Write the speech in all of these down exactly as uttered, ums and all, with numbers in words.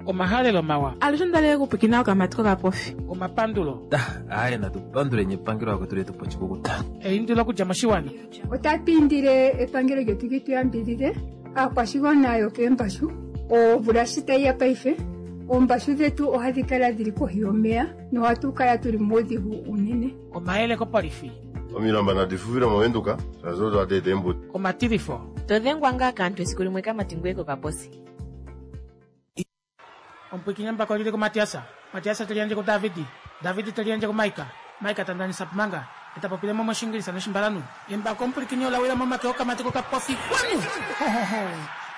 Omahalelo mawa. Alushe ondalele okupwikina okamati kokapofi. Omapandulo. Aaye natu panduleni epangelo lakwetu letu po oshikukuta. Eindilo okudja moshiwana. Otatu indile epangelo lyetu li tu yambidhidhe aakwashigwana yokeembashu. Omvula shi tayi ya paife, oombashu dhetu ohadhi kala dhili kohi yomeya nohatu kala tuli muudhigu unene. Omayele kopolifi. Omilamba nadi fufile movenduka shaashi odo hadi eta eembuto. Omatilifo. To dhengwa ngaa kaantu esiku limwe kamati ngoye kokaposi. Omupwiikini embako lili kuMatiasa. Matiasa te liyandje kuDavidi. Davidi te liyandje kuMaika. Maika ta ndanisa Pumanga. E ta popile mo mOshingilisa nOshimbalanhu. Embako omupwilikini ola wila momake okamati kokapofi. Xwanu! Ho, ho, ho!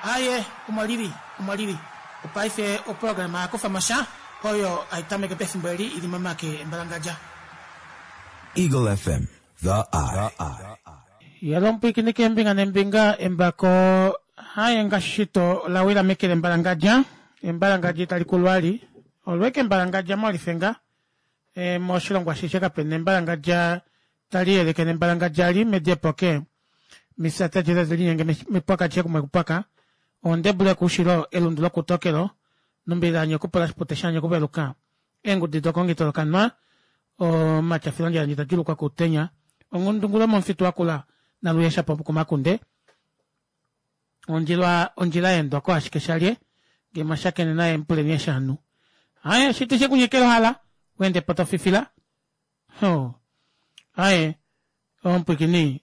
Aaye, omo li li. Omo li li. Opaife oprograma ya kufa mo sha, oyo hai tameke pefimbo eli i li momake embalangadja. Eagle F M, The Eye. Yalo omupwilikini keembinga neembinga, embako haye ngaashi shito ola wila meke lembalangadja. Embalangadja itali kulu ali. Olweke embalangadja molifenga. E, moshilongo ashishe kape na embalangadja tali yeleke nembalangadja li mediepoke. Misata jeda teli linyenge mepwaka kumwe kupwaka. Ondebule kushilo elundu lokutokelo. Nombila nyokupola shipute shanye kuveluka. Eengudi dokongito lokanwa. Omatyafilo ndja tajulukwa kutenya. Ongundungulo momufitu wakula naluyesha po kumakunde. Ondjila ondjila yeendwa ko ashike shalye. Ngee mwashakene naye mupuleni eshanu. Aye shiti shekunyekela hala. Wende po tofifila. Ho. Aye omupwikini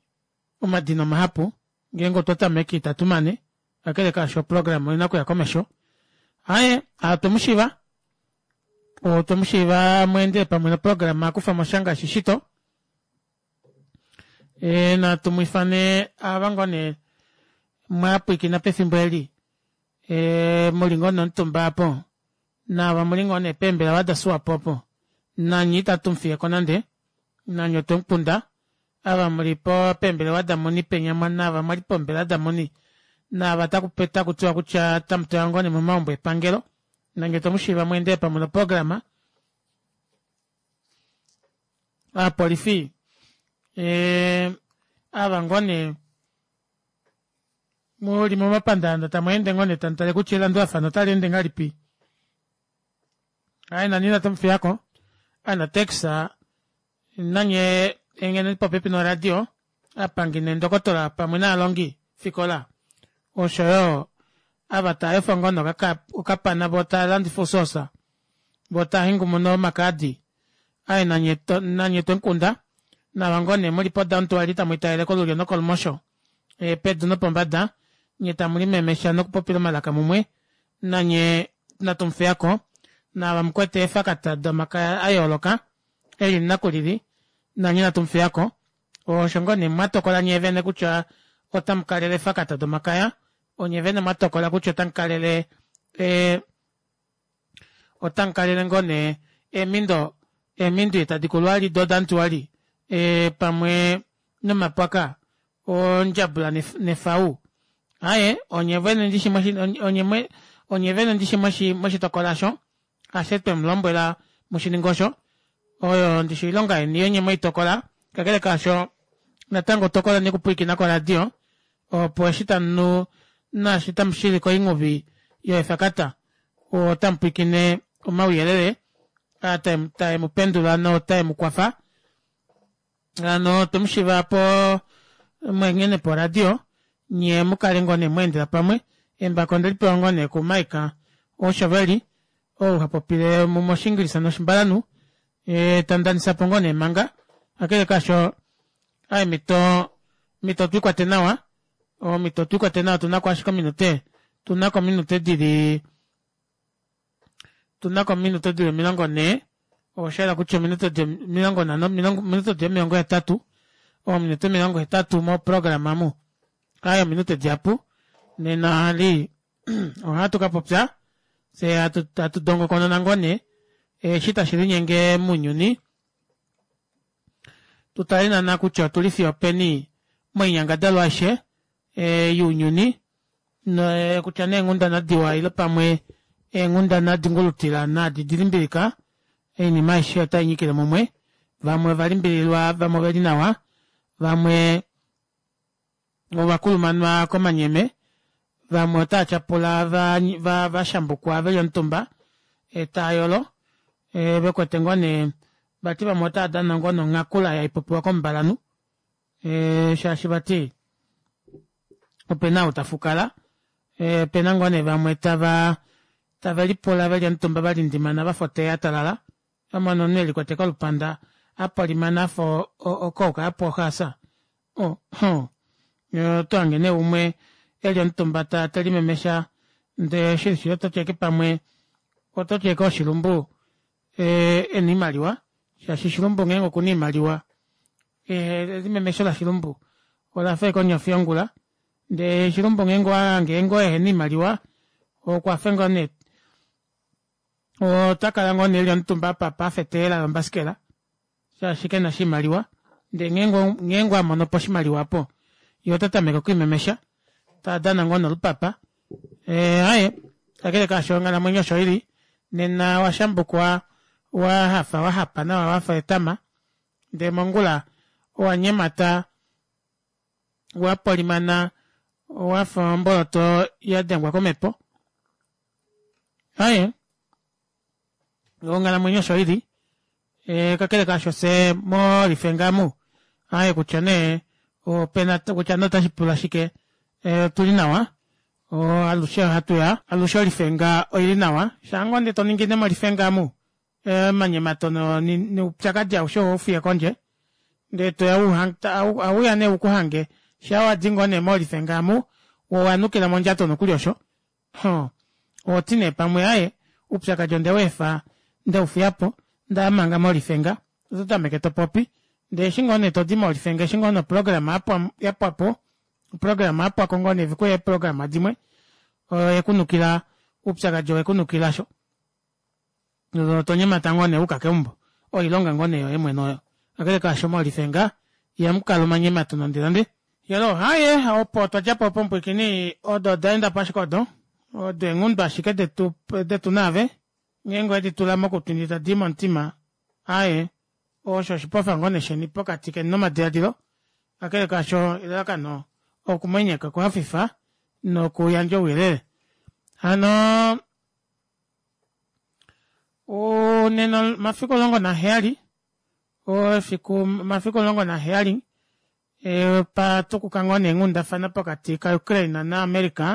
omadina omahapu. Ngeenge otwa tameke itatu mane. Kakele kaasho oprograma oina okuya komesho. Aye otwe mu shiiva. Otwe mu shiiva mwende pamwe noprograma akufa mo sha ngaashi shito. E, natu mu ifane ava ngoo nee mwapwikina pefimbo eli. E, muli ngoo nomutumba apo. Naava muli ngoo nee peembelewa daSwapo opo. Nanye itatu mu fiye ko nande. Nanye otwe mu kunda. Ava muli po peembelewa damuni penya naava mwali poombelewa damuni. Naava taku taku tiwa kutya tamu tewa ngoo nee momaumbo epangelo. Nanye otwe mu shiiva mwende pamwe noprograma. Aapolifi e, ava ngoo nee muli momapandaanda tamu ende ngoo nee tamu tale kutya elandulafano otali ende ngahelipi. Aye nani inatu mu fiyako. Anatex nanye engene popepi noradio aapangi neendokotola pamwe naalongi fikola oshoyo ava tava efa ngoo nee okapana voo tava landifa ousoosa voo tava hengumuna omakaadi. Aye nanye nanye twemukunda nava ngoo nee muli podowntown tamu italele kolulyo nokolumosho e, pedu nopombada nye tamu limemesha nokupopila omalaka mumwe nanye natu mufiyako naava mukwete eefakata domakaya a yooloka elili nakulili nanye natu mufiyako osho ngoo nee mwatokola nyee vene kutya otamu kalele eefakata domakaya onye vene mwatokola kutya otamu kalele e, otamu kalele ngoo nee eemindo eemindo tadi kulu ali dodantuali e, pamwe nomapwaka ondjabula nefau. Aye onye vene ndishi onye onye vene ndishi moshitokola osho ashe twe mu lombwela mushininga osho oyo ndishi oilonga yeni onye mweitokola kakele kaasho natango tokola nekupwiikina koradio opo eshi tamu naashi tamu shili koinghuvi yoefakata otamu pwiikine omauyelele tae mu pendula notae mu kwafa. Hano twe mu shiiva po mwenghene poradio nye mukale ngoo nee mweendela pamwe. Embako ondeli pewa ngoo nee kuMaika Oshoveli ou ha popile moshingilisa noshimbalanhu e, tandanisa po ngoo nee manga kakele kaasho aye mito mito twikwate nawa omito twikwate nawa tunako ashike ominute tunako ominute dili tunako ominute dili omilongo nhee osha kutya ominute di omilongo nhano ominute di omilongo hetatu ominute omilongo hetatu moprograma mu aye ominute dihapu nena ali ohatu ka popya fye hatu dongokonona ngoo nee eshi tashi linyenge mounyuni tutale naana kutya otuli fiyo openi moinyangadalwa aishe e, younyuni no, kutya nee eenghundana diwa ile pamwe eenghundana dingulutila naadi dilimbilika oinima aishe otai nyikile mumwe. Vamwe ovalimbililwa, vamwe oveli nawa, vamwe ovakulumanwa komanyeme, Vamwe otaa tyapula va, va, va shambukwa veli omutumba e, taa yolo e, vekwete ngoo nee vati vamwe otaa dana ngoo nonghakula yaipopiwa komumbalanhu e, shaashi vati opena ou tafukala e, opena ngoo nee vamwe tava tave lipula veli omutumba valindimana vafa otea yatalala vamona omunhu elikwete kolupanda apolimana afa ocoke yapwa ohaasa oh, oh. Otohange nee umwe eli omutumba ta telimemesha ndee shili shili ototi ashike pamwe ototi ashike oshilumbu e, ena oimaliwa shaashi shilumbu ngeenge okuna oimaliwa elimemesho lashilumbu olafa ashike onyofi yongula ndee shilumbu ngeenge owahange ngoo ehena oimaliwa okwafa ngoo nee otakala ngoo nee eli omutumba apa afa eteyela lombasikela shaashi kena oshimaliwa ndee ngeenge amonopo oshimaliwa opo yee otatameke okwiimemesha tadana ngoo nolupapa aaye kakele kaasho onghalamwenyo osho ili nena washambukwa wahafa wahapa nawa wafa etama ndee mongula owanyemata wapolimana wafa omboloto yadengwa komepo aaye onghalamwenyo osho ili e, kakele kaasho fyee molifenga amu aaye kutya nee opena kutya nee otashipula shike e, otuli nawa alushe ohatuya alushe olifenga oili nawa shaangoo ndee toningine molifenga amu omanyemato noupyakadi aushe ohaufiye kondje ndee toya auya nee ukuhange shaa wadi ngoo nee molifenga amu owanukila mondjato nokuli osho ohoti nee pamwe aaye oupyakadi ondeweefa ndeufiyapo ndaya manga molifenga ototameke topopi ndee eshi ngoo nee todi molifenga eshi ngoo nee oprograma yapwapo oprograma yapwako ngoo nee vekuya eeprograma dimwe oyekunukila oupyakadi owekunukila sho tonyemata ngoo nee wuuka keumbo oilonga ngoo nee yoye mwene oyo kakele kaasho molifenga ihamukala omanyemato nande nande yelo aaye opo twadjapo opo mupwiikini odo odaendapo ashike odo odo eenghundu ashike detu detu naave ngeenge owedi tula mokutwi ndee tadii momutima aaye osho oshipofa ngoo nee sheni pokati keni nomadiladilo kakele kaasho elalakano okumwenyeka okuhafifa nokuyandja ouyelele hano nena omafiku omulongo naheyali efiku omafiku omulongo naheyali patukuka ngoo nee eenghundafana pokati ka Ukraine na America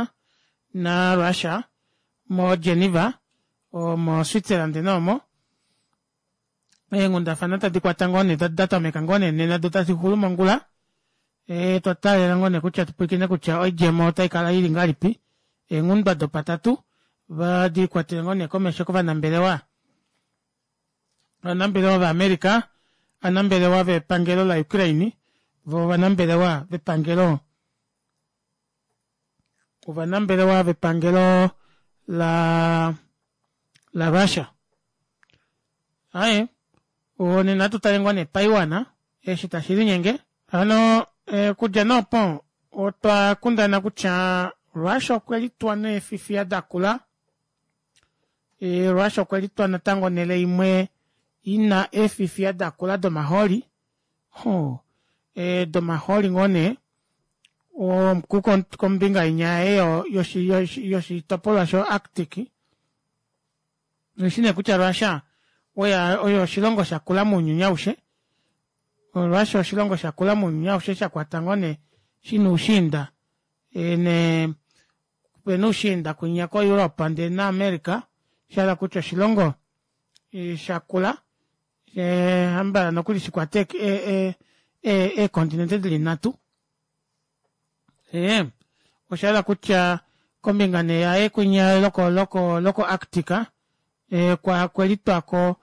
na Russia mo Geneva mo Switzerland noomo eenghundafana tadi kwata ngoo nee datameka ngoo nee nena doo tadixulu mongula e, twataalela ngoo nee kutya tupwilikine kutya oidjemo otaikala ili ngahelipi eenghundwa dopatatu vadikwatele ngoo nee komesho kovanambelewa ovanambelewa vaAmerica ovanambelewa vepangelo la Ukraine voo ovanambelewa vepangelo ovanambelewa vepangelo la la Russia aaye nena atutale ngoo nee paiwana eshi tashilinyenge hano okudja nee opo otwa kundana kutya Russia okwelitwa neefifiya dakula e, Russia okwelitwa natango onele imwe ina eefifiya dakula domahooli ho e, domahooli ngoo nee kombinga inya eyo yoshitopolwa sho Arctic oshi nee kutya Russia oyo oshilongo shakula mounyuni aushe Russia oshilongo shakula mounyuni aushe shakwata ngoo nee shina oushiinda ne pena oushiinda kwinya ko Europe ndee na America shahala kutya oshilongo shakula hambala nokuli shikwate eekontinente dili nhatu ee oshahala kutya kombinga nee yaye kwinya loko loko loko Arctic e, kwelitwako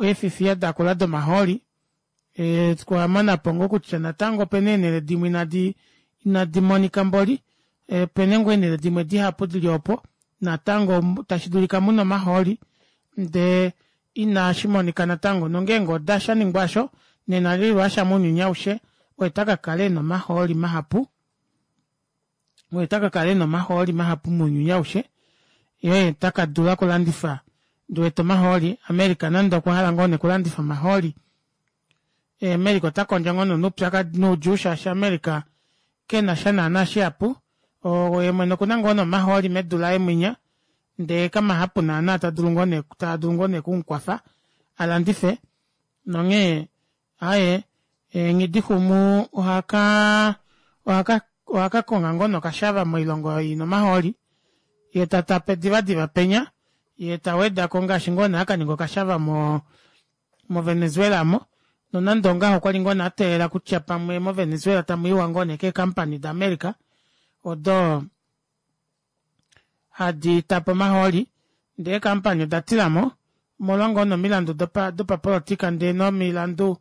eefifiya dakula domahooli e, kwamonapo ngoo kutya natango opena eenele dimwe inadi inadi monika mboli e, opena ngoo eenele dimwe dihapu dili opo natango tashi dulika muna omahooli ndee inashimonika natango nongeenge oda shaningwa osho nena Russia mounyuni aushe oye takakala ena omahooli mahapu oye takakala ena omahooli mahapu mounyuni aushe yee takadula okulandifa ndiwete omahooli America nande okwahala ngoo nee okulandifa omahooli America ota kondjo ngoo noupyakadi noudjuu shaashi America kenasha naana shihapu Ye mwene okuna ngoo nomahooli medu laye mwinya ndee kamahapu naana tadulu ngoo nee taadulu ngoo nee okumukwafa alandife nonghee aaye nghidixumu ohaka ohaka ohakakonga ngoo nee okashava moilongo oyo ina omahooli yee tatape divadiva penya yee tawedako ngaashi ngoo nee akaninga okashava mo mo Venezuela aamo nonande ongaho okwali ngoo nee ateelela kutya pamwe mo Venezuela tamuiwa ngoo nee kee company da America odo hadi tape omahooli ndee eekampani odatilamo omolwa ngoo nee omilandu dopapolitika ndee nomilandu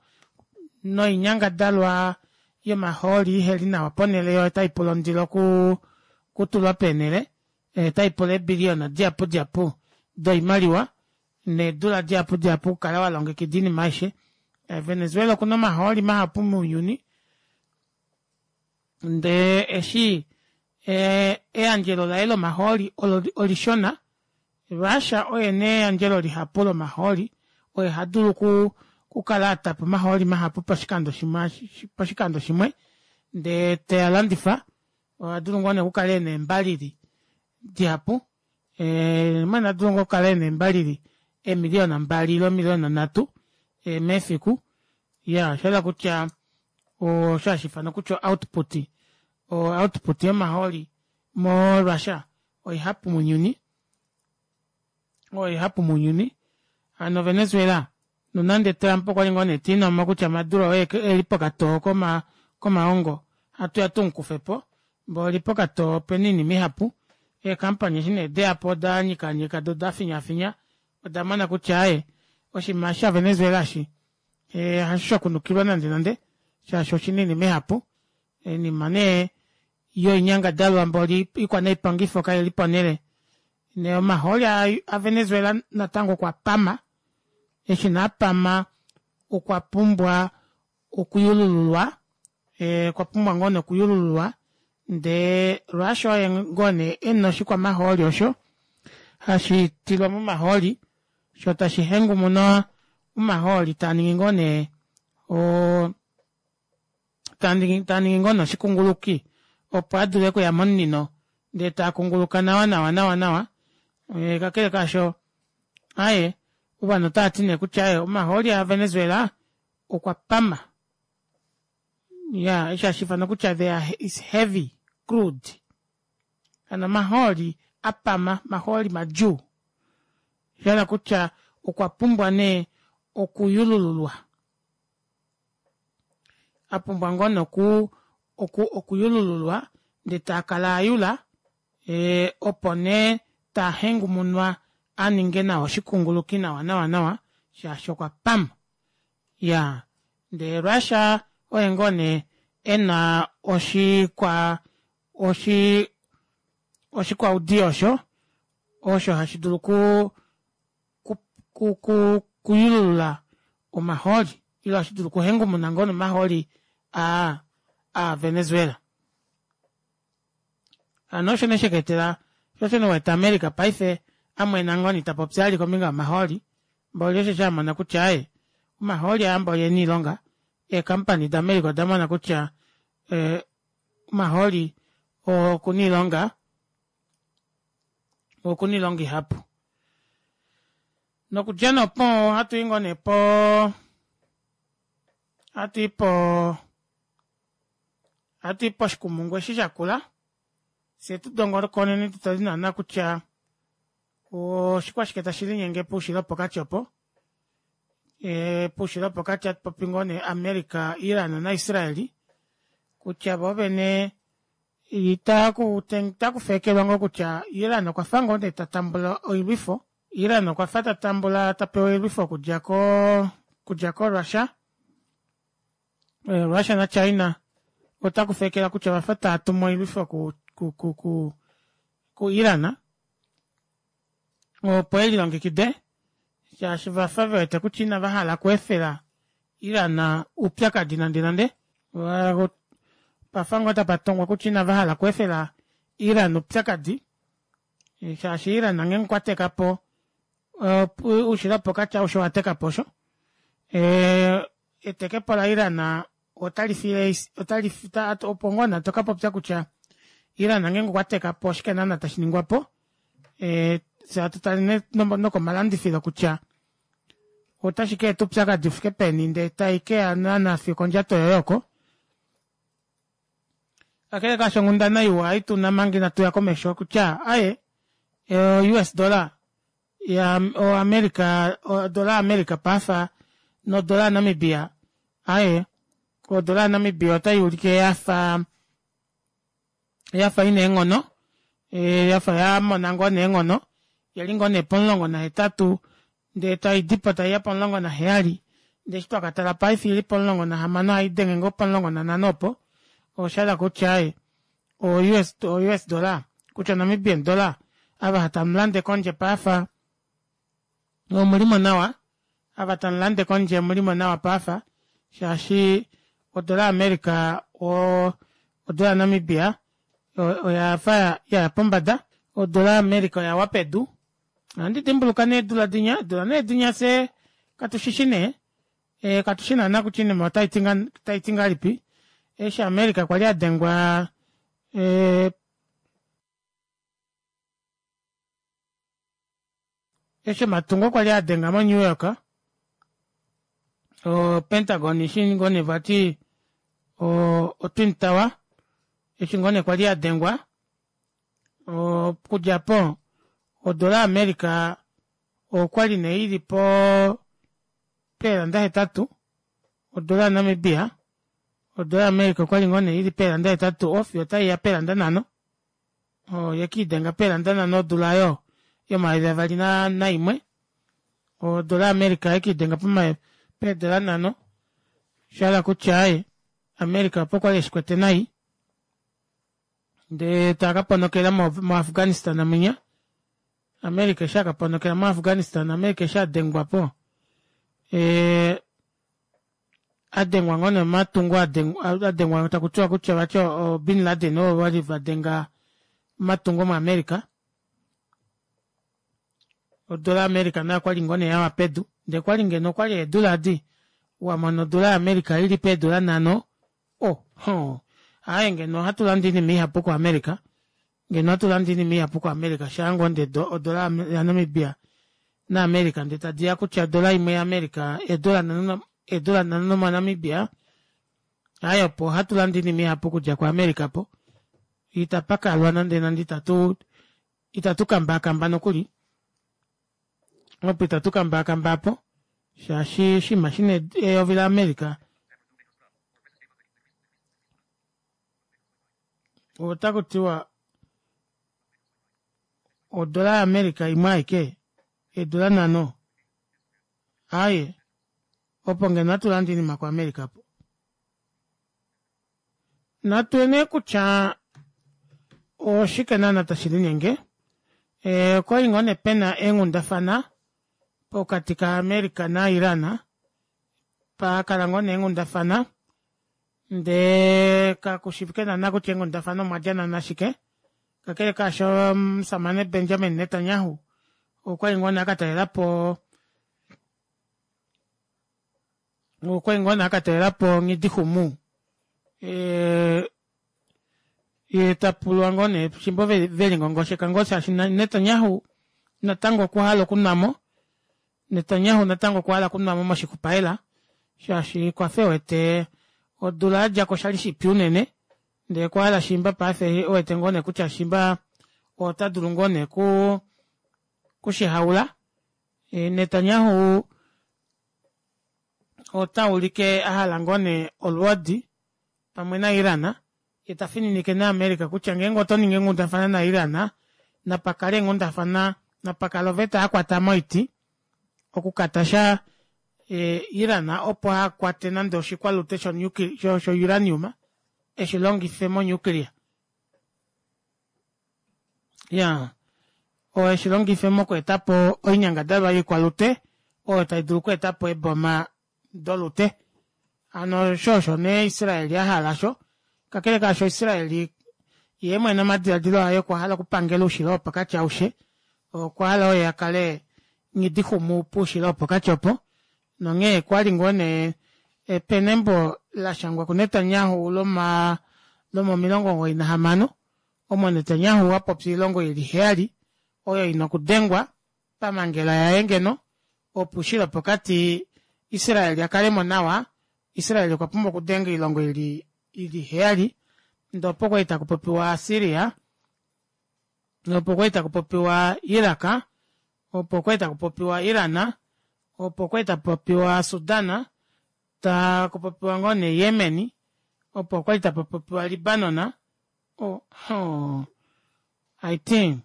noinyangadalwa yomahooli iheli nawa ponele yoo otaipula ondilo okutulwa peenele otaipula eebillion dihapu dihapu doimaliwa needula dihapu dihapu okukala walongekida oinima aishe. Venezuela okuna omahooli mahapu mounyuni ndee eshi eyandjelo laye lomahooli olishona Russia oye ena eyandjelo lihapu lomahooli oye hadulu okukala atapa omahooli mahapu poshikando shimwe poshikando shimwe ndee tealandifa ohadulu ngoo nee okukala ena eembalili dihapu mwene adulu ngoo okukala ena eembalili eemiliona mbali ile eemiliona nhatu mefiku iyaa oshahala kutya osho hashiifanwa kutya output o output yomahooli mo Russia oihapu mounyuni oihapu mounyuni hano Venezuela nonande Trump okwali ngoo nee tiinomo kutya Maduro oye eli pokatoo komaongo ohatuya tumukufepo mboli pokatoo opena oinima ihapu eekampani eshi nee deyapo odanyikaanyika doo odafinyaafinya odamona kutya aaye oshinima eshi sha Venezuela eshi hasho shakunukilwa nande nande shaashi oshina oinima ihapu oinima nee yoinyangadalwa mboli ikwanaipangifo kaili ponele nee omahooli a Venezuela natango okwa pama eshi nee apama okwa pumbwa okuyulululwa okwa pumbwa ngoo nee okuyulululwa ndee Russia oye ngoo nee ena oshikwamahooli osho hashitilwa momahooli shoo tashi hengumuna omahooli taaningi ngoo nee oo taaningi ngoo nee oshikunguluki opo adule okuya momunino ndee taakunguluka nawa nawa nawa nawa kakele kaasho aaye ovanhu otavati nee kutya omahooli a Venezuela okwa pama iya eshi hashiifanwa kutya there is heavy crude hano omahooli apama omahooli madjuu oshahala kutya okwa pumbwa nee okuyulululwa apumbwa ngoo nee oku oku okuyulululwa ndee taakala ayula opo nee tahengumunwa aninge nawa oshikunguluki nawa nawa nawa shaashi okwa pama iyaa ndee Russia oye ngoo nee ena oshikwa oshi oshikwaudiyo osho osho hashi dulu ku ku ku kuyululula omahooli ile hashi dulu okuhengumuna ngoo nomahooli aa a Venezuela hano osho nee shekaetela sho osho nee uwete America paife amwena ngoo nee itapopi vali kombinga yomahooli mboli osheshi amona kutya aaye omahooli aa mboli ena oilonga eekampani da America odamona kutya omahooli okuna oilonga okuna oilonga ihapu nokudja nee opo ohatui ngoo nee po ohatui po ohatui poshikumungu eshi shakula fyee tudongolokoneni tutale naana kutya oshikwashike tashi linyenge poushilo wopokati opo poushilo wopokati ohatupopi ngoo nee America Iran na Israel kutya voovene otakufeekelwa ngoo kutya Iran okwafa ngoo nee tatambula oilwifo Iran okwafa tatambula tapewa oilwifo okudja ko okudja ko Russia Russia na China otakufeekela kutya ovafa taatumu oilwifo ku ku ku ku Iran opo elilongekide shaashi vafa vewete kutya inava hala okweefela Iran oupyakadi nande nande pafa ngoo tapatongwa kutya inava hala okweefela Iran oupyakadi shaashi Iran ngeenge okwa tekapo oushilo wopokati aushe owatekapo osho etekepo la Iran otali fiile otali opo ngoo nee tokapopya kutya Iran ngeenge okwa teka po oshike naana tashi ningwa po. Ee, fye hatu tale nee nokomalandifilo kutya otashi ka eta oupyakadi ufike peni ndee tai keya naana fiyo okondjato yoye oko. Kakele kaasho onghundana iwa ei tuna manga inatu ya komesho kutya aaye o U S dollar ya o America odola yaAmerica paife nodola yaNamibia aaye odola yaNamibia otai ulike yafa yafa ina eenghono yafa yamona ngoo nee eenghono yali ngoo nee pomulongo nahetatu ndee taidipo taiya pomulongo naheyali ndee eshi twakatala paife oili pomulongo nahamano ohaidenge ngoo pomulongo nanhano opo oshahala kutya aaye o U S dollar kutya Namibian dollar ava tamulande kondje paife omulimo nawa ava tamulande kondje omulimo nawa paife shaashi odola ya america oo odola ya namibia oyafa yaya pombada odola ya america oyawa pedu ohandi dimbuluka nee eedula dinya eedula nee dinya fyee katushishi nee katushi naana kutya oinima otaiti ngahelipi eshi america kwali adengwa eshi omatungo kwali adenga mo new york o pentagon eshi ngoo nee vati o twin tower eshi ngoo nee kwali yadengwa okudja aapo odola ya america okwali nee ili poo peeranda hetatu odola ya namibia odola ya america okwali ngoo nee ili peeranda hetatu fiyo otaiya peeranda nhano oyekiidenga peeranda nhano odula aayo yomayovi avali naimwe odola ya america oyekiidenga peedola nhano shahala kutya aaye america opo kwali eshikwete nai ndee takaponokela mo afghanistan munya america eshi akaponokela mo afghanistan america eshi adengwapo adengwa ngoo nee omatungo adengwa takutiwa kutya vati o bin laden ovo vali vadenga omatungo mo america odola ya america nayo okwali ngoo nee yawa pedu ndee okwali ngeno okwali eedula edi wamona odola ya america ili peedola nhano oh hoo aaye ngeno ohatu lande oinima ihapu ko america ngeno ohatu lande oinima ihapu ko america shaangoo ndee odola ya namibia na america ndee tadiya kutya odola imwe ya america eedola nhano mo namibia aaye opo ohatu lande oinima ihapu okudja ko america opo itapakalwa nande nande itatu itatu kambaakamba nokuli opo itatu kambaakamba aapo shaashi oshinima shina eyovi la america otakutiwa odola ya america imwe aike eedola nhano aaye opo ngeno ohatu lande oinima ko america opo natu nee kutya oshike naana tashi linyenge okwali ngoo nee pena eenghundafana pokati ka america na iran pakala ngoo nee eenghundafana ndee kakushivike naana kutya eenghundafana omwadja naana shike kakele kaasho omushamane Benjamin Netanyahu okwali ngoo nee akatalelapo okwali ngoo nee akatalelapo Nghidixumu yee tapulwa ngoo nee fimbo velingongosheka ngoo shaashi Netanyahu natango okwahala okunwamo Netanyahu natango okwahala okunwamo moshikupaela shaashi okwafa ewete odula yadjako oshali shipyu unene ndee okwahala shiimba paife ewete ngoo nee kutya shiimba ota dulu ngoo nee kushihaula Netanyahu otaulike ahala ngoo nee olwoodi pamwe na Iran yee tafininike nee america kutya ngeenge otoningi eenghundafana na Iran napakale eenghundafana napakale oveta yakwata moiti okukatasha Iran opo ahakwate nande oshikwalute sho uranium eshilongife mo nuclear iyaa eshilongife mokweetapo oinyangadalwa yoikwalute oyo taidulu okweetapo eeboma dolute hano osho osho nee Israel ahala osho kakele kaasho Israel yeemwene omadilaadilo aye okwahala okupangela oushilo wopokati aushe okwahala oye akale nghidixumu poushilo wopokati opo nonghee okwali ngoo nee pena embo lashangwa ku Netanyahu loma lomomilongo omugoyi nahamano omo Netanyahu apopya oilongo ili heyali oyo ina okudengwa pamangela yaye ngeno opo oushilo wopokati Israel akalemo nawa. Israel okwa pumbwa okudenga oilongo ili ili heyali ndee opo kwali takupopiwa Syria, opo kwali takupopiwa Iraq, opo kwali takupopiwa Iran, opo kwali takupopiwa Sudan, takupopiwa ngoo nee Yemen, opo kwali tapapopiwa Libanon, oh, oh, I think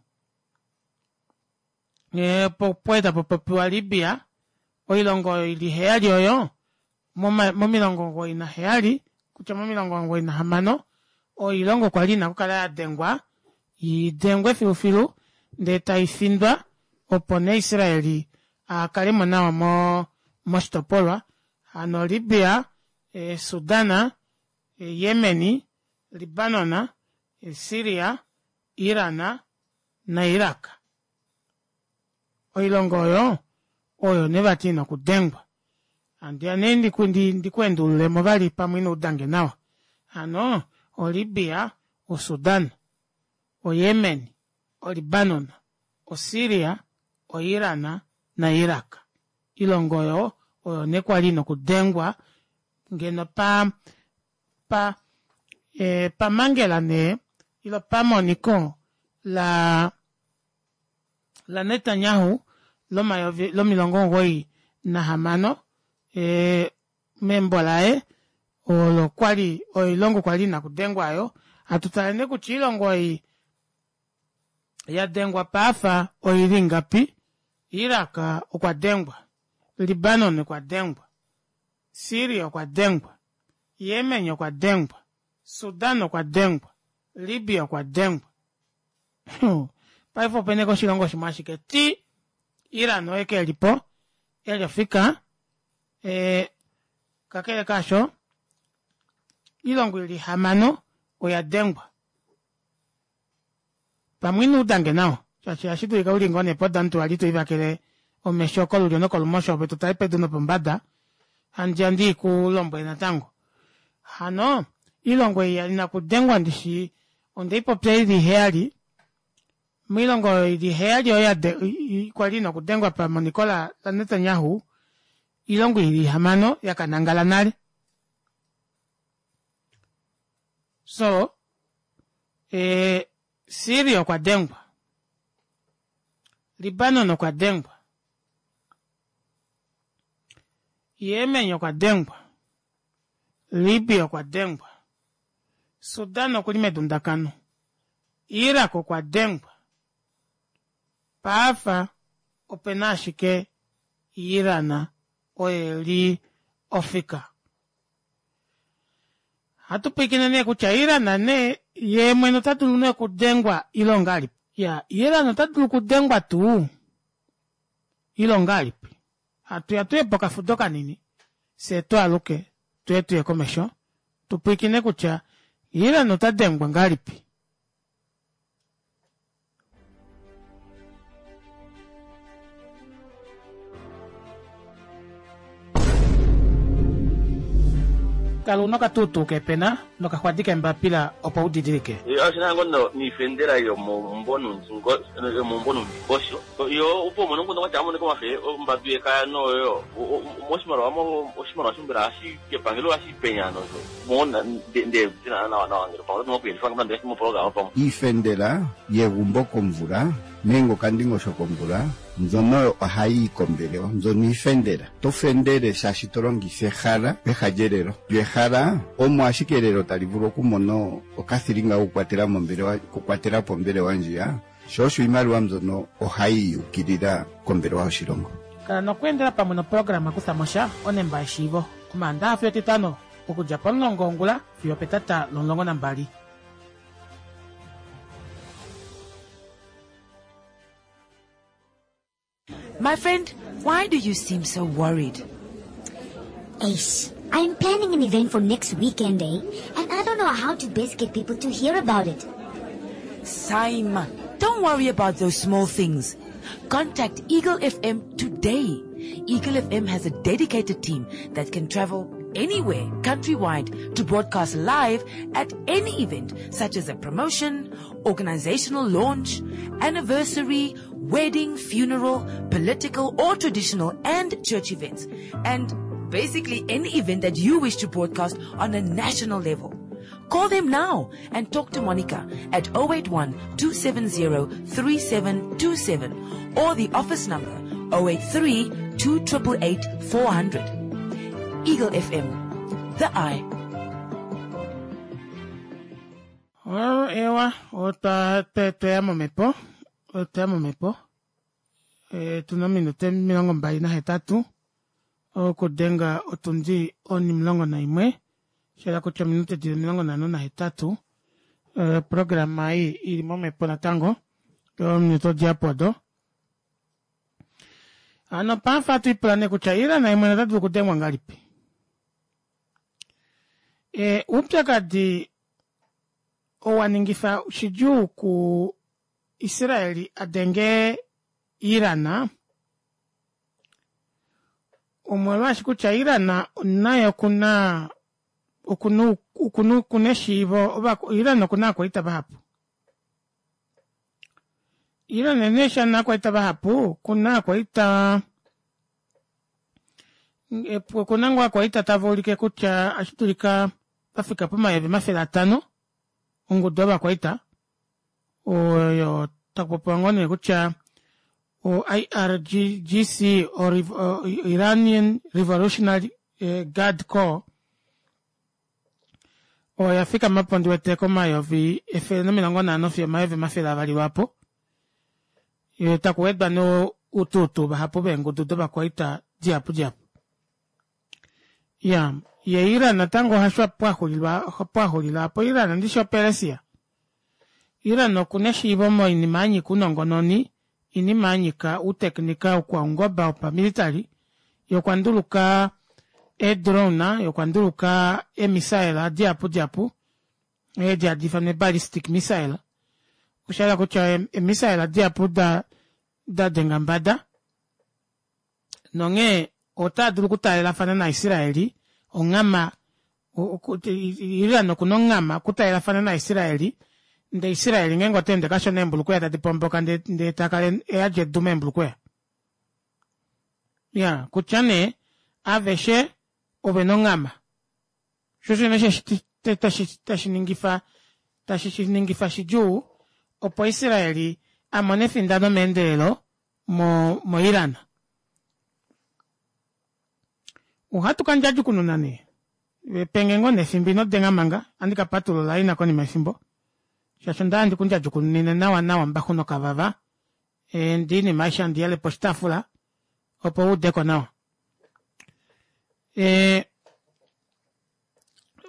opo kwali tapapopiwa Libya. Oilongo oyo ili heyali oyo momilongo omugoyi naheyali kutya momilongo omugoyi nahamano oilongo kwali ina okukala yadengwa idengwe filufilu ndee taifindwa opo nee Israeli akalemo nawa mo moshitopolwa hano Libya, Sudan, Yemen, Libanon, Syria, Iran na Iraq. Oilongo oyo oyo nee vati ina okudengwa. Handiya nee ndikweendululemo vali pamwe ino udange nawa. Hano o Libya, o Sudan, o Yemen, o Libanon, o Syria, o Iran na Iraq. Oilongo oyo oyo nee kwali ina okudengwa ngeno pa pa e, pamangela nee ilo pamoniko la la Netanyahu lomayovi lomilongo omugoyi nahamano e, membo laye olo kwali oilongo kwali ina okudengwa ayo. Hatutale nee kutya oilongo ei yadengwa paafa oili ngapi. Iraq okwa dengwa, Libanon okwa dengwa, Syria okwa dengwa, Yemen okwa dengwa, Sudan okwa dengwa, Libya okwa dengwa. Paife opena oshilongo shimwe ashike ti Iran oye kelipo elifika e, kakele kaasho oilongo ili hamano oya dengwa. Pamwe ino udange nawa shaashi ohashi dulika uli ngoo nee podantu wali toivakele omesho kolulyo nokolumosho ove totale pedu nopombada handja ndiikulombwele natango. Hano oilongo ei ina okudengwa ndishi ondeipopya ili heyali. Moilongo oyo ili heyali oyo kwali ina okudengwa pamoniko la Netanyahu, oilongo ili hamano yakanangala nale. So e, Syria okwa dengwa, Libanon okwa dengwa, Yemen okwa dengwa, Libya okwa dengwa, Sudan okuli medundakano, Iraq okwa dengwa. Paafa opena ashike Iran oye li ofika. Hatu pwiikine nee kutya Iran nee yee mwene ota dulu nee okudengwa ile ongahelipi. Ya Iran ota dulu okudengwa tuu ile ongahelipi. Hatuya tuye pokafudo kanini fyee twaaluke tuye tuye komesho tupwiikine kutya Iran ota dengwa ngahelipi. Kala una okatuutuu kepena nokaxwadi kembapila opo udidilike. Oshinango niifendela yomomumvo numvingosho yo opo umone nguno kwatya amoneka omafe ombadu yekaya noyo moshimaliwa oshimaliwa shimbela hashi kepangelo hashi penya nosho mona nde tina nawa nawa ngele pamwe otu na okuyelifa moprograma pamwe. Iifendela yegumbo komvula nenge okandingosho komvula mbyono ohayi yi kombelewa, mbyono iifendela. To fendele shaashi to longitha ehala peha lyelelo. Lyo ehala omo ashike elelo tali vulu okumona okathilinga kokukwatela mombelewa, okukwatela po ombelewa ndjiya, sho osho iimaliwa mbyono ohayi yukilila kombelewa yoshilongo. Kala nokweendela pamwe noprograma Kutha mo sha onemba yeshiivo Omaandaxa fiyo Etitano okudja pomulongo wongula fiyo opetata lomulongo nambali. My friend, why do you seem so worried? Ace, I'm planning an event for next weekend, eh? And I don't know how to best get people to hear about it. Saima, don't worry about those small things. Contact Eagle F M today. Eagle F M has a dedicated team that can travel anywhere, countrywide, to broadcast live at any event, such as a promotion organizational launch, anniversary, wedding, funeral, political or traditional and church events, and basically any event that you wish to broadcast on a national level. Call them now and talk to Monica at oh eight one, two seven zero, three seven two seven or the office number oh eight three, two triple eight, four hundred. Eagle F M, the eye. Oh, ewa, otwa tweya momhepo, otwa momhepo. E, tuna ominute omilongo mbali nahetatu okudenga otundi onimulongo naimwe, shela kutya ominute dili omilongo nhano nahetatu. E, programa ei ili momhepo natango, ominute odiapo odo. Hano pamfa atu ipula nee kutya Iran imwe ota dulu okudengwa ngalipi? E, upyakadi owa ningifa shidjuu ku Israeli adenge Iran, omolwaashi kutya Iran naye okuna, okuna, okuna, okuna eshiivo, ova, Iran okuna akwaita vahapu. Iran ene eshi ana akwaita vahapu, okuna akwaita, okuna ngoo akwaita tava ulike kutya ohashi dulika vafika pomayovi omafele atano ongudu yovakwaita oyo takupopiwa ngoo nee kutya o I R G C o Rev-, o Iranian Revolutionary Guard Corps oya fikama po ndi wete komayovi efele nomilongo nhano fiyo omayovi omafele avali lwapo. Yo takuwedwa no ututu vahapu veengudu dovakwaita dihapu dihapu. Ya, ye Iran natango hasho pwahulilwa, pwahulila apo Iran ndishi oPersia. Iran okuna eshiivo moinima ya nyika unongononi, inima ya nyika uteknika ukwaungoba upamilitary, yokwanduluka e-drone, yokwanduluka e-missile dihapu dihapu, edi hadi ifanwa ballistic missile. Osha kutya e-missile dihapu da, da denga mbada. Nonge ota dulu okutaalelafana naIsraeli, ongama, o-, o-, Iran okuna ongama okutaalelafana naIsraeli, nde Israeli ngeenge ota ende kashona eembulukweya tadi pomboka nde, nde ta kala e yadi edu meembulukweya. Ya, kutya nee, aveshe ove nongama. Sho shene she shi-, tashi, tashi ningifa, tashi shi ningifa shidjuu opo Israeli a mone efindano meendelelo mo, mo Iran. Ohatu ka ndjadjukununa nee. Penge ngoo nefimbo ino denga manga, andi ka patulula ina konima yefimbo. Shaashi onda handi kundjadjukununine nawa nawa mbaxu nokavava. E, ndi inima aishe handi yele poshitaafula, opo u udeko nawa. E,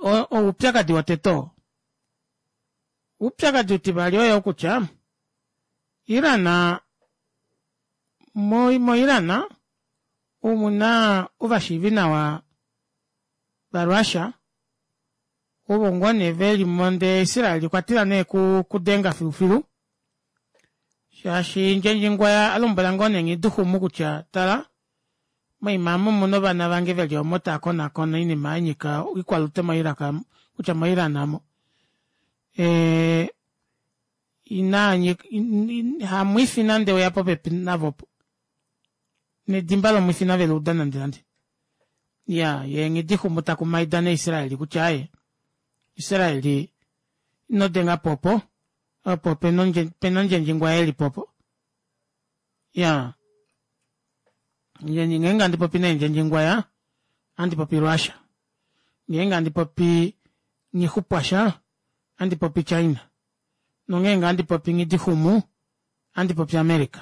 o-, oupyakadi wotete oo. Oupyakadi utivali oyo kutya, Iran, mo-, mo Iran, omuna ovashiivi nawa vaRussia, ovo ngoo nee veli monde Israel okwa tila nee ku-, kudenga filufilu. Shaashi Ndjendjingwaya a lombwela ngoo nee Nghiduhumu kutya, tala, moima omu muna ovana vange veli omo tava konakona oinima ya nyika oikwalute moIraq, kutya moIran amo. E, ina nyika, in, in, hamwifi nande oya popepi navo po. Nedimba lomwifi nave luuda nande nande. Ya, ye Nghiduhumu ta kumaida naIsraeli kutya aye, Israeli ino denga popo, opo pena ondje-, pena Ndjendjingwaya eli popo. Ya. Ndjendji, ngeenge handi popi nee Ndjendjingwaya, handi popi Russia. Ngeenge handi popi Nghixupwasha, handi popi China. Nongeenge handi popi Nghiduhumu, handi popi America.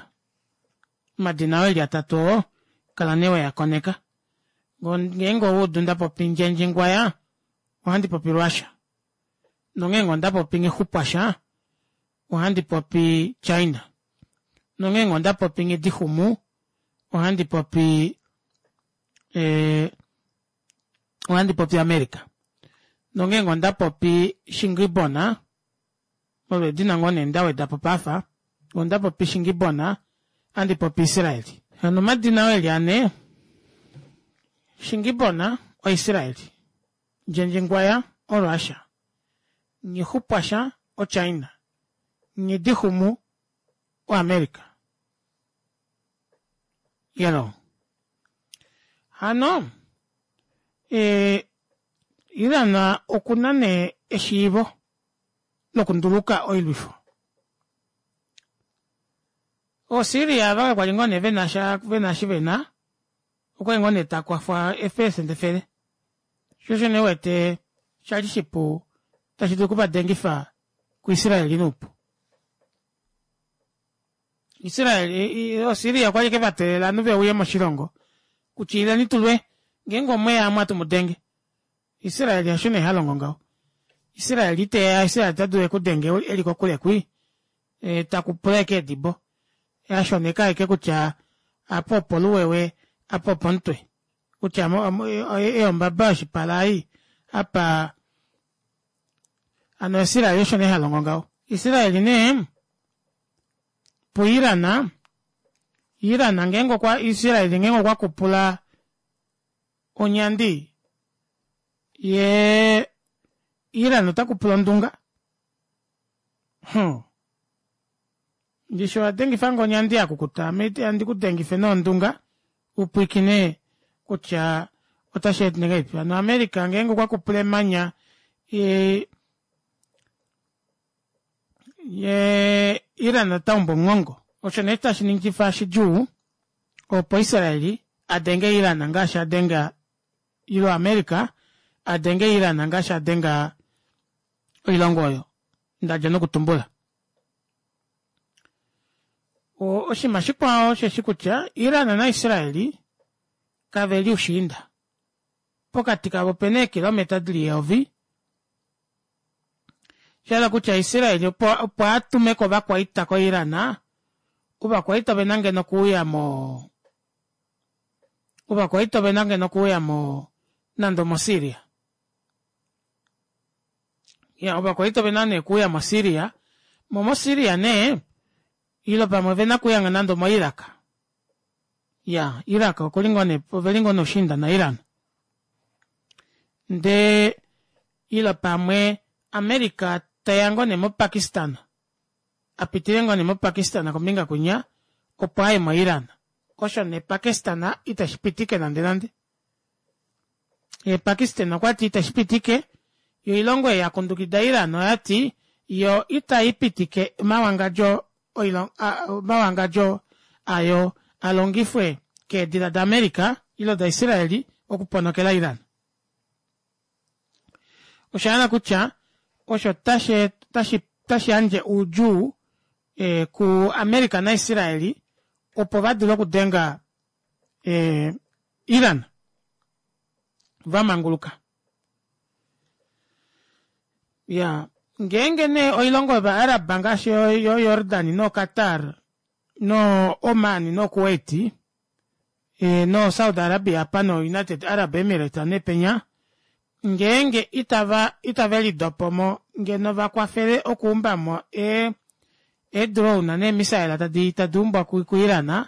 Omadina oo eli atatu oo, kala nee weya koneka. Ngeenge oudu nda popi Ndjendjingwaya, ohandi popi Russia. Nongeenge onda popi Nghixupwasha, ohandi popi China. Nongeenge onda popi Nghiduhumu, ohandi popi, eh, ohandi popi America. Nongeenge onda popi Shingibona, molwedina ngoo nee nda weda po pafa, onda popi Shingibona, ohandi popi Israeli. Hano omadina oo eli ane, Shingibona oIsraeli, Ndjendjingwaya oRussia, Nghixupwasha oChina, Nghidihumu oAmerica. Yelo. Hano e, Iran okuna nee eshiivo lokunduluka oilwifo. OSyria ava kwali ngoo nee vena sha vena eshi vena okwali ngoo nee takwafwa eepelesenda efele sho osho nee uwete shali shipu tashi dulu okuvadengifa kuIsrael noupu. Israel oSyria okwali ashike vateelela ovanhu veuye moshilongo kutya ileni tulwe ngeenge omweya amu atu mudenge. Israel hasho nee halongo ngaho. Israel iteya Israel ota dulu ekudenge eli kokule kwii e, takupula ashike edibo ashoneka ashike kutya apa opo luwewe apa opomutwe kutya eyombaba yoshipala ei apa hano Israel osho nee halongo ngaho. Israel nee puIran Iran ngeenge okwa Israel ngeenge okwa kupula onyandi ye Iran ota kupula ondunga hmm. Ndishi owa dengifa nge onyandi yakukuta ame andi ku dengife nondunga upwikine kutya otashi ende ngahelipi. Hano America ngeenge okwa kupula emanya ye ye Iran ota umbu omugongo. Osho nee tashi ningifa shidjuu opo Israel a denge Iran ngaashi a denga ilo America a denge Iran ngaashi a denga oilongo oyo ndadja nokutumbula. Oshinima shikwao osheshi kutya Iran naIsrael kave li ushiinda. Pokati kavo opena eekilometa dili eyovi. Sha kutya Israel opo, opo a tume ko ovakwaita koIran, ovakwaita ovena ngeno okuuya mo ovakwaita ovena ngeno okuuya mo nande omoSyria. Ya, ovakwaita ovena nee okuuya moSyria. Mo moSyria nee ilo pamwe ovena okuuya nande omoIraq. Ya, Iraq okuli ngoo nee oveli ngoo noushiinda naIran. Ndee ilo pamwe America teya ngoo nee moPakistan apitile ngoo nee moPakistan kombinga kwinya opo aye moIran. Osho nee Pakistan iteshi pitike nande nande. Ye Pakistan okwati iteshi pitike yo oilongo ei yakundukida Iran oyati yo itai pitike omawangadjo omawangadjo ayo alongifwe keedila daAmerica ilo daIsraeli okuponokela Iran. Osha hala kutya osho tashi tashi tashi yandje oudjuu e, ku America naIsraeli opo va dule okudenga e, Iran vamanguluka. Ya, ngeenge nee oilongo yovaArab ngaashi yo Jordan no Qatar no Oman no Kuwait e, no Saudi Arabia apa no United Arab Emirates nepenya ngeenge itava itave lidopo mo ngeno va kwafele okuumba mo e eedrone neemisaela tadi tadi umbwa ku, ku Iran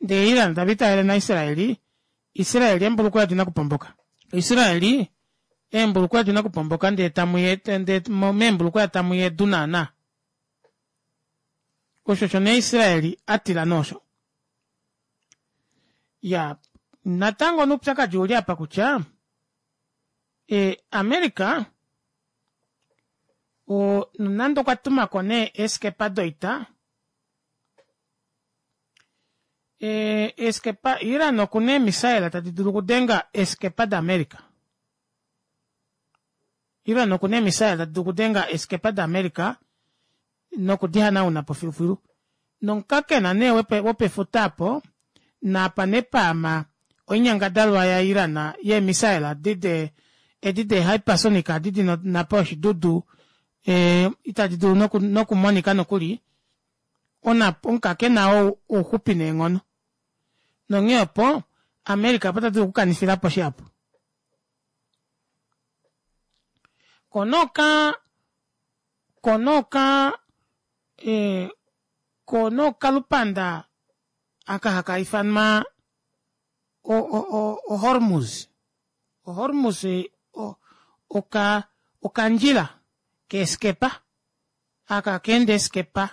ndee Iran tava itavele naIsraeli Israeli eembulukweya odina okupomboka. Israeli eembulukweya odina okupomboka ndee tamuye ndee meembulukweya tamuya edu naana. Osho osho nee Israeli a tila noosho. Ya, natango noupyakadi uli apa kutya e, America o, nonande okwa tumako nee eeskepa doita e, eeskepa Iran okuna eemisaela tadi dulu okudenga eeskepa daAmerica. Iran okuna eemisaela tadi dulu okudenga eeskepa daAmerica nokudihanauna po filufilu. Nomukakena nee wopefuta apo napa nepaama oinyangadalwa yaIran yeemisaela edi edi de hypersonic adi dina napo oshidudu e, itadi dulu noku, nokumonika nokuli ona omukakena oo ouxupi neenghono. Nonghee opo America opo ta dulu okukanifilapo shihapu. Konoka konoka e, konokalupanda aka haka ifanwa o, o, o, o Hormuz. O Hormuz o, oka okandjila keeskepa Aka keenda eeskepa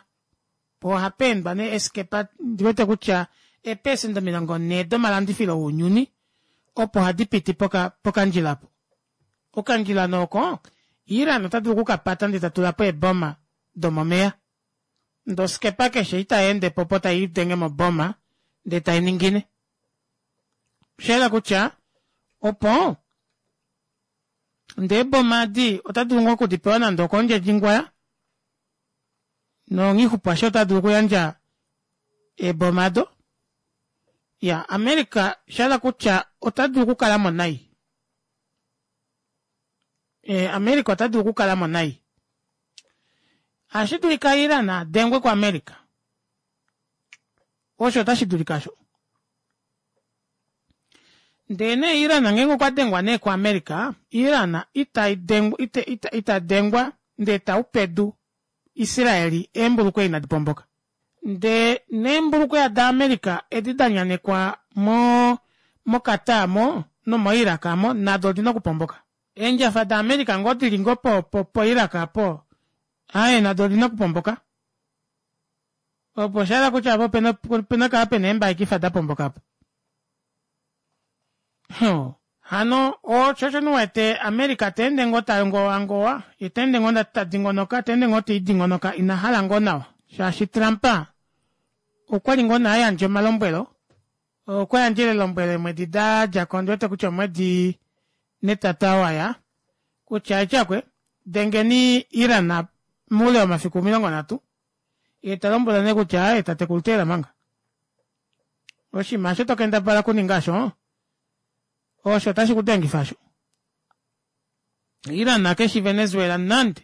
poo ohapa endwa nee eeskepa ndiwete kutya eepecent omilongo nhee domalandifilo ounyuni opo hadi piti pokandjila opo. Okandjila nee oko Iran ota dulu okukapata ndee tatulapo eeboma domomeva ndee oskepa keshe ei tayendepo opo tailidenge moboma ndee tainingine. Oshayela kutya opo ndee eeboma edi otadulu ngoo okudipewa nande okomundjendjingwaya nonghixupwasha otadulu okuyandja eeboma aado. Iyaa America oshahala kutya otadulu okukalamo nai. America otadulu okukalamo nai. Ohashidulika Iran adengwe ku America. Osho ota shidulika osho. Ndee nee Iran ngeenge okwa dengwa nee ku America, Iran ita dengwa ita dengwa ndee taupedu Israel eembulukweya inadi pomboka. Ndee neembulukweya da America edi danyanekwa mo mo Qatar aamo nomo Iraq aamo nado odina okupomboka. Eendjafa da America ngoo dili ngoo po po Iraq aapo aaye nado odina okupomboka. Opo oshahala kutya opo opena okukala pena eembaikifa dapomboka aapo. Hano osho osho uwete America teende ngoo tangowangowa yee teende ngoo tadingonoka teende ngoo teidingonoka inahala ngoo nawa shaashi Trump okwali ngoo nee ayandja omalombwelo okwa yandjele elombwelo eemwedi dadjako ondiwete kutya omwedi netata waya kutya etyakwe dengeni Iran moule womafiku omilongo nhatu yee talombwelwa nee kutya aaye tatekulu teela manga oshinima osho tokendabala okuninga osho osho otashi kudengifa osho. Iran keshi Venezuela nande.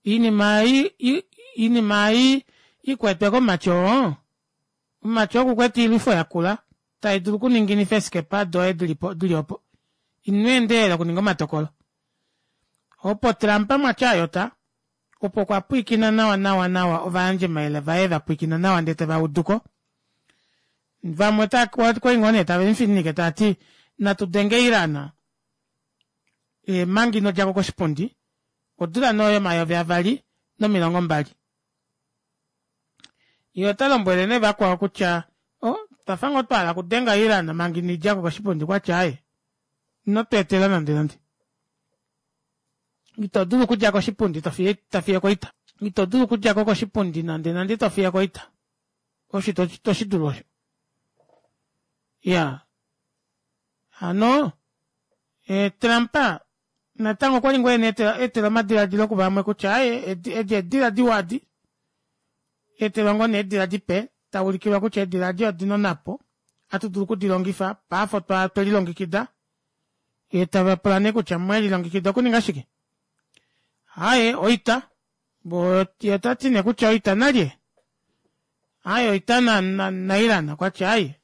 Oinima ei oinima ei ikwetwe komake oo, omake oku kwete oilwifo yakula tai dulu okuninginifa eeskepa doye dilipo dili opo. Ino endelela okuninga omatokolo. Opo Trump mwatya ayota, opo okwa pwiikina nawa nawa nawa ovayandjimayele vaye vapwiikina nawa ndee tevauduko. Vamwe ota okwali ngoo nee tave mufininike tavati natu denge Iran manga inodjako koshipundi odula nee oyo omayovi avali nomilongo mbali. Yee ota lombwele nee vakwao kutya oh twafa ngoo twahala okudenga Iran manga inidjako koshipundi okwati aaye ino tweetela nande nande. Ito dulu okudja koshipundi tofiye koita. Ito dulu okudjako koshipundi nande nande tofiye koita. Osho ito shidulu osho. Iyaa hano Trump natango okwali ngoo ena etela omadilaadilo kuvamwe kutya aaye edi eedila diwa edi etelwa ngoo nee eedila dipe taulikilwa kutya eedila edi odina onhapo ohatu dulu okudilongifa paife otwelilongekida yee tavapula nee kutya mwelilongekida okuninga shike. Aaye oita yee otati nee kutya oita nalye aaye oita na Iran okwati aaye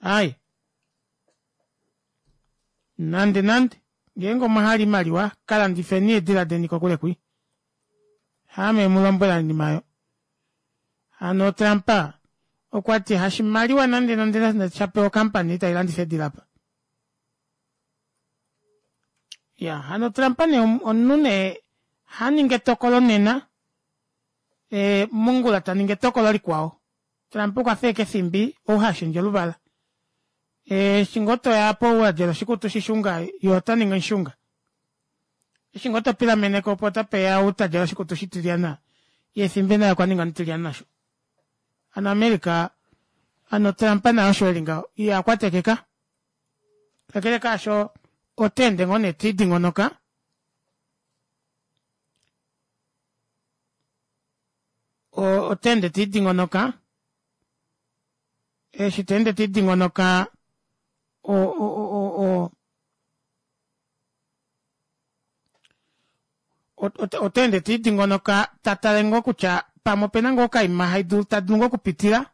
aaye nande nande ngeenge omwahala oimaliwa kalandifeni eedila deni kokule kwi haame mulombwela oinima aayo. Hano Trump okwati hashimaliwa nande nande shapewa ocompany tailandifa eedila apa. Iyaa hano Trump nee omunhu nee haningi etokolo nena mongula taningi etokolo likwao. Trump okwafa ashike efimbi ou hashendje oluvala. Eshi ngoo toya aapo wadjala oshikutu shishunga yee otaningi omushunga. Eshi ngoo topilameneko opo otapeya ou tadjala oshikutu shitilyana yee efimbi naye okwaninga omutilyane nasho. Hano America hano Trump naye osho eli ngaho ihakwatekeka. Kakele kaasho ota ende ngoo nee tedingonoka ota ende tedingonoka eshi ta ende tedingonoka o o ota ende tedingonoka tatale ngoo kutya pamwe opena ngoo okaima haidulu tadulu ngoo okupitila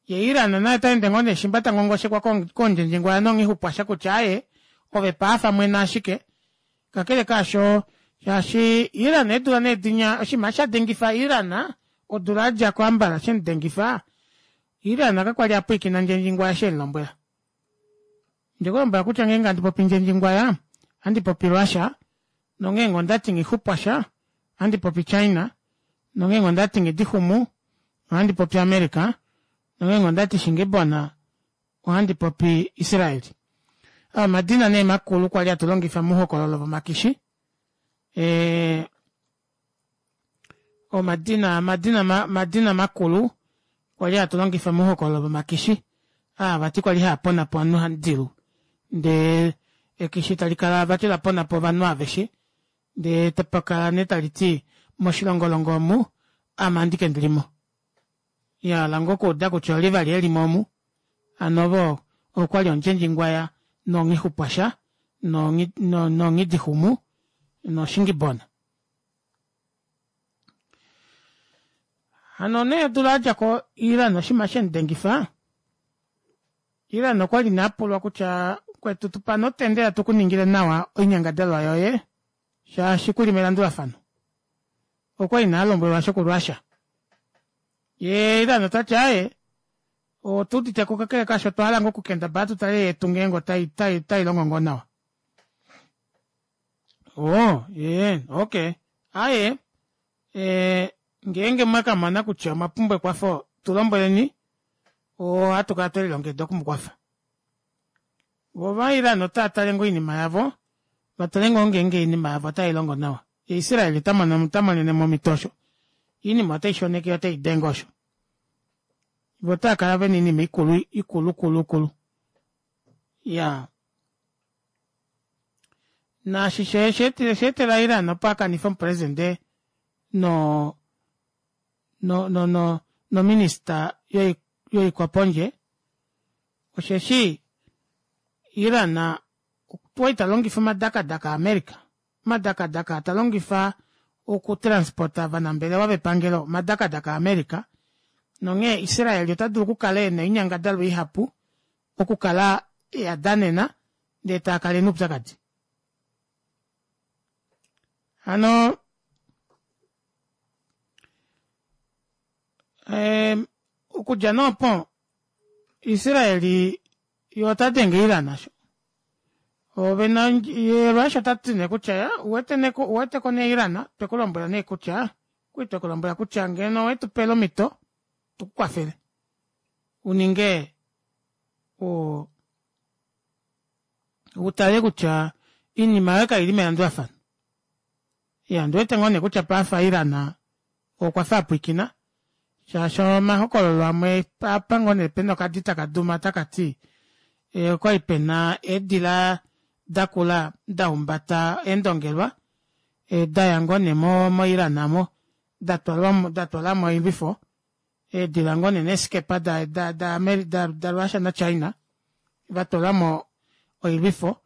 yee Iran naye otaende ngoo nee shimba tangongoshekwa kondjendjengwaya nonghixupwasha kutya aaye ove paafa mwena ashike kakele kaasho shaashi Iran eedula nee dinya oshinima shadengifa Iran odula yadjako ambala shemudengifa Iran kakwali apwiikina ndjendjingwaya eshi emulombwela. Ondekulombwela kutya ngeenge handi popi ndjendjingwaya ohandi popi Russia Nongeenge ondati nghixupwasha ohandi popi China, nongeenge ondati nghidihumu ohandi popi America, nongeenge ondati shingibona ohandi popi Israel. Aa omadina nee makulu kwali hatu longifa mouhokololo vomakishi ee omadina omadina omadina makulu kwali hatu longifa mouhokololo vomakishi aa vati kwali haaponapo ovanhu hadilu ndee ekishi talikala vati laponapo ovanhu aveshe ndee tapakala nee taliti moshilongolongo omu aame andike ndilimo yahala ngoo okuuda kutya olye vali elimo omu hano ovo okwali ondjendjingwaya nonghixupwasha nonghidihumu noshingibona. Hano nee odula yadjako Iran oshinima shemudengifa Iran okwali nee apulwa kutya kwetu tupa nee otendela tukuningile nawa oinyangadalwa yoye shaashi kuli melandulafano. Okwali nee alombwelwa osho ku Russia. Yee Iran otati aaye otuuditeko kakele kaasho otwa hala ngoo okukendabala tutale yetu ngeenge otai longo ngoo nawa. Oo yee okay aaye ee ngeenge mwakamona kutya omwa pumbwa ekwafo tulombweleni ohatu kala twelilongekida okumukwafa. Voo ova Iran otava tale ngoo oinima yavo vatale ngoo ngeenge oinima yavo otailongo nawa. Ye Israel otamonenemo omito osho oinima oteishoneke yee oteidenge osho. Voo otaakala vena oinima ikulu ikulu kulu kulu iyaa naashi oshaetela Iran opo akanife omupresident no no no nominister yoikwapondje osheshi Iran okwali talongifa omadakadaka a America omadakadaka aa talongifa oku transporta ovanambelewa vepangelo omadakadaka a America nonghee Israel ota dulu okukala ena oinyangadalwa ihapu okukala eyadanena ndee taakala ena oupyakadi. Hano okudja nee opo Israel ye ota denge Iran osho ovena ye Russia otati nee kutya ya uwete nee uweteko nee Iran twekulombwela nee kutya okwali twekulombwela kutya ngeno owetupele omito tukukwafele uninge o utale kutya oinima yoye kaili melandulafano. Iya ondiwete ngoo nee kutya paife Iran okwafa apwiikina shaashi omahokololo amwe apa ngoo nee pena okadi taka duma takati okwali pena eedila dakula dahumbata eendongelwa daya ngoo nee mo Iran aamo datwalamo oilwifo eedila ngoo nee neeskepa da da da Russia na China vatwalamo oilwifo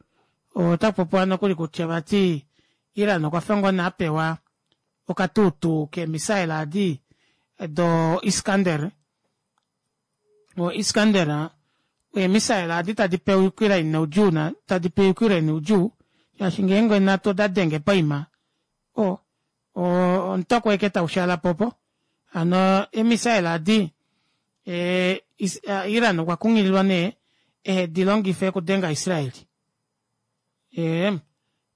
otakupopiwa nokuli kutya vati Iran okwafa ngoo nee apewa okatuutuu keemissile adi do Iskander o Iskander eemissile adi tadi pewa Ukraine noudjuu tadi pe Ukraine oudjuu shaashi ngeenge nhatu oda denge poima o omutoko ashike taushaalapo opo hano eemissile adi Iran okwa kunghililwa nee ehedilongife okudenga Israel. Ee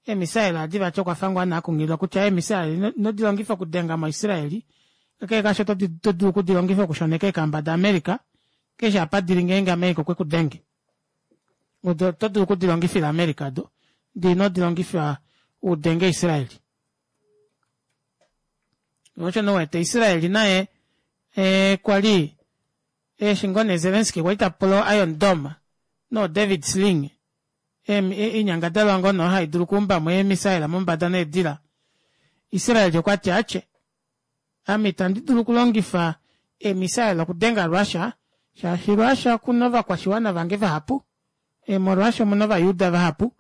eemissile adi vati okwafa ngoo nee akunghililwa kutya eemissile ino dilongifa okudenga mo Israel kakele kaasho oto dulu okudilongifa okushoneka eekamba da America keshe apa dili ngeenge America okwe kudenge odo oto dulu okudilongifila America do ndee ino dilongifa udenge Israel. Osho nee uwete Israel naye ee kwali eshi ngoo nee Zelensky kwali tapula o Iron Dome no David Sling oinyangadalwa ngoo nee haidulu okuumbamo eemissile mombada needila Israel okwati atye ame itandi dulu okulongifa eemissile okudenga Russia shaashi Russia okuna ovakwashiwana vange vahapu molwaashi omuna ovajuda vahapu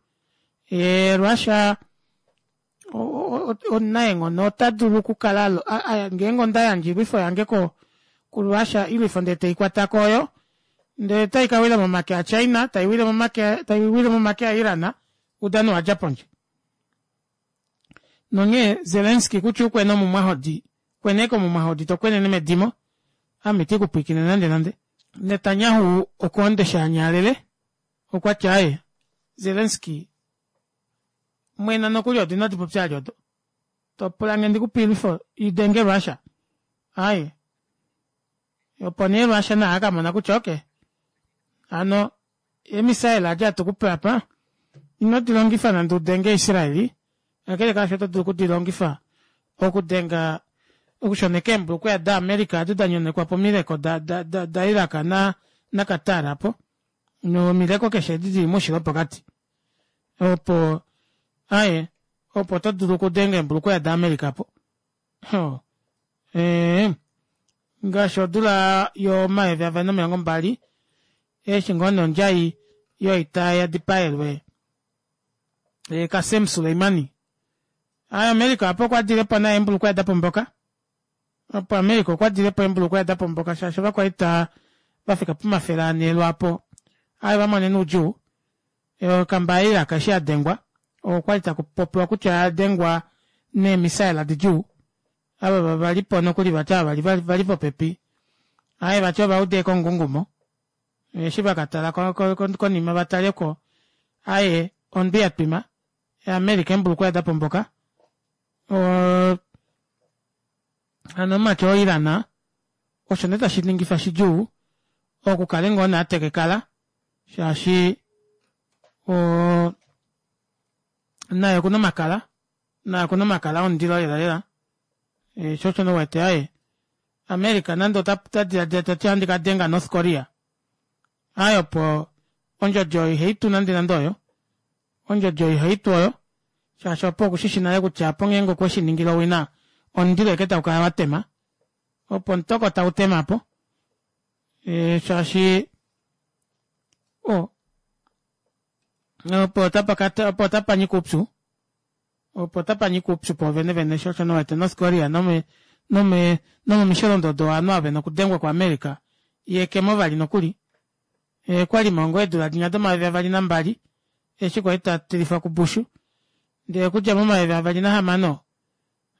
Russia omunaenghono ota dulu okukala ngeenge onda yandja oilwifo yange kuRussia oilwifo ndee teikwatako oyo ndee otai kawila momake a China taiwile momake taiwile momake a Iran oudano owadja pondje. Nonghee Zelensky kutya ukwena omumwahodi kwena ashike omumwahodi tokwenene medimo ame iti kupwiikine nande nande. Netanyahu okwoonde shaanyaalele okwati aaye Zelensky Mwena nokuli odo inadi popya ali odo. Topula nge ndikupe oilwifo idenge Russia. Aye. Opo nee Russia naye akamona kutya okay. Hano eemisaela adi hatu kupe apa ino dilongifa nande udenge Israeli. Kakele kaasho oto dulu okudilongifa okudenga okushoneka eembulukweya daAmerica adi da nyonekwa pomileko da, da, da, da Iraq na, na Qatar apo. Nomileko keshe edi dili moushilo wopokati. Opo aye opo oto dulu okudenga eembulukweya daAmerica po. Ho. Ee, ngaashi odula yomayovi avali nomilongo mbali eshi ngoo nee ondjai yoita ya dipaelwe e, Qasem Soleimani. Aye America apo okwa dilepo naye eembulukweya da pomboka. Opo America okwa dilepo eembulukweya da pomboka shaashi ovakwaita va fika pomafele ane lwaapo aye va monene oudjuu. Okamba yaIraq eshi ya dengwa okwali taku popiwa kutya oya dengwa neemisaela didjuu. Ava valipo nokuli vati ava vali vali popepi aye vati ova uda ekongungumo eshi vakatala konima vataleko aye ondwi ya twima America eembulukweya da pomboka. O hano omumati oo Iran osho nee tashi ningifa shidjuu okukale ngoo nee atekekala shaashi o naye okuna omakala naye okuna omakala omundilo lela lela. E, sho osho nee uwete aye America nande ota diladila tati ohandi ka denga North Korea aye opo ondjodi oyo ihaitu nande nande oyo ondjodi oyo ihaitu oyo shaashi opo okushishi nale kutya opo ngeenge okwe shi ningile owina omundilo eke tau kala watema opo omutoko tau temapo e, shaashi o opo otapa opo otapa nyika oupyu opo otapa nyika oupyu poovene vene sho osho nowete North Korea nome nome nomomisholondodo ovanhu ava vena okudengwa kuAmerica yekemo vali nokuli e, kwali mongo eedula dinya domayovi avali nambali eshi kwali ta tilifwa kuBush ndele okudja momayovi avali nahamano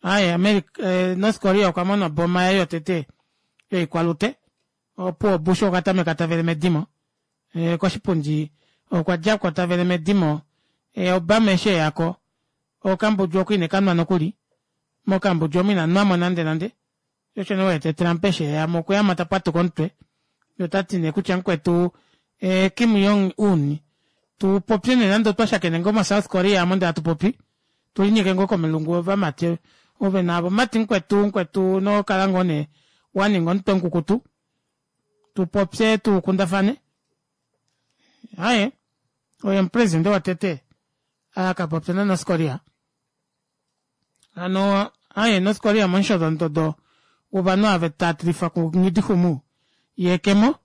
aye America eh, North Korea okwa mona oboma yaye yotete yoikwalute opo Bush okwa tameka tavele medimo e, koshipundi okwa djako tavele medimo e, Obama eshi eyako okambudju oku ine kanwa nokuli mokambudju omu ina nwamo nande nande osho nee wete Trump eshi eyamo okuyama ta pwatuka omutwe yotati nee kutya mukwetu e, Kim Jong Un tu popye nee nande otwa shakene ngoo mo South Korea amo ndee hatu popi tulinyeke ngoo komilungu ovamati ove naavo mati mukwetu mukwetu nokala ngoo nee waninga omutwe mukukutu tupopye tukundafane aye oye omupresidente wotete akapopya na North Korea hano aye North Korea momusholondodo wovanhu ava tatilifwa kunghidixumu yekemo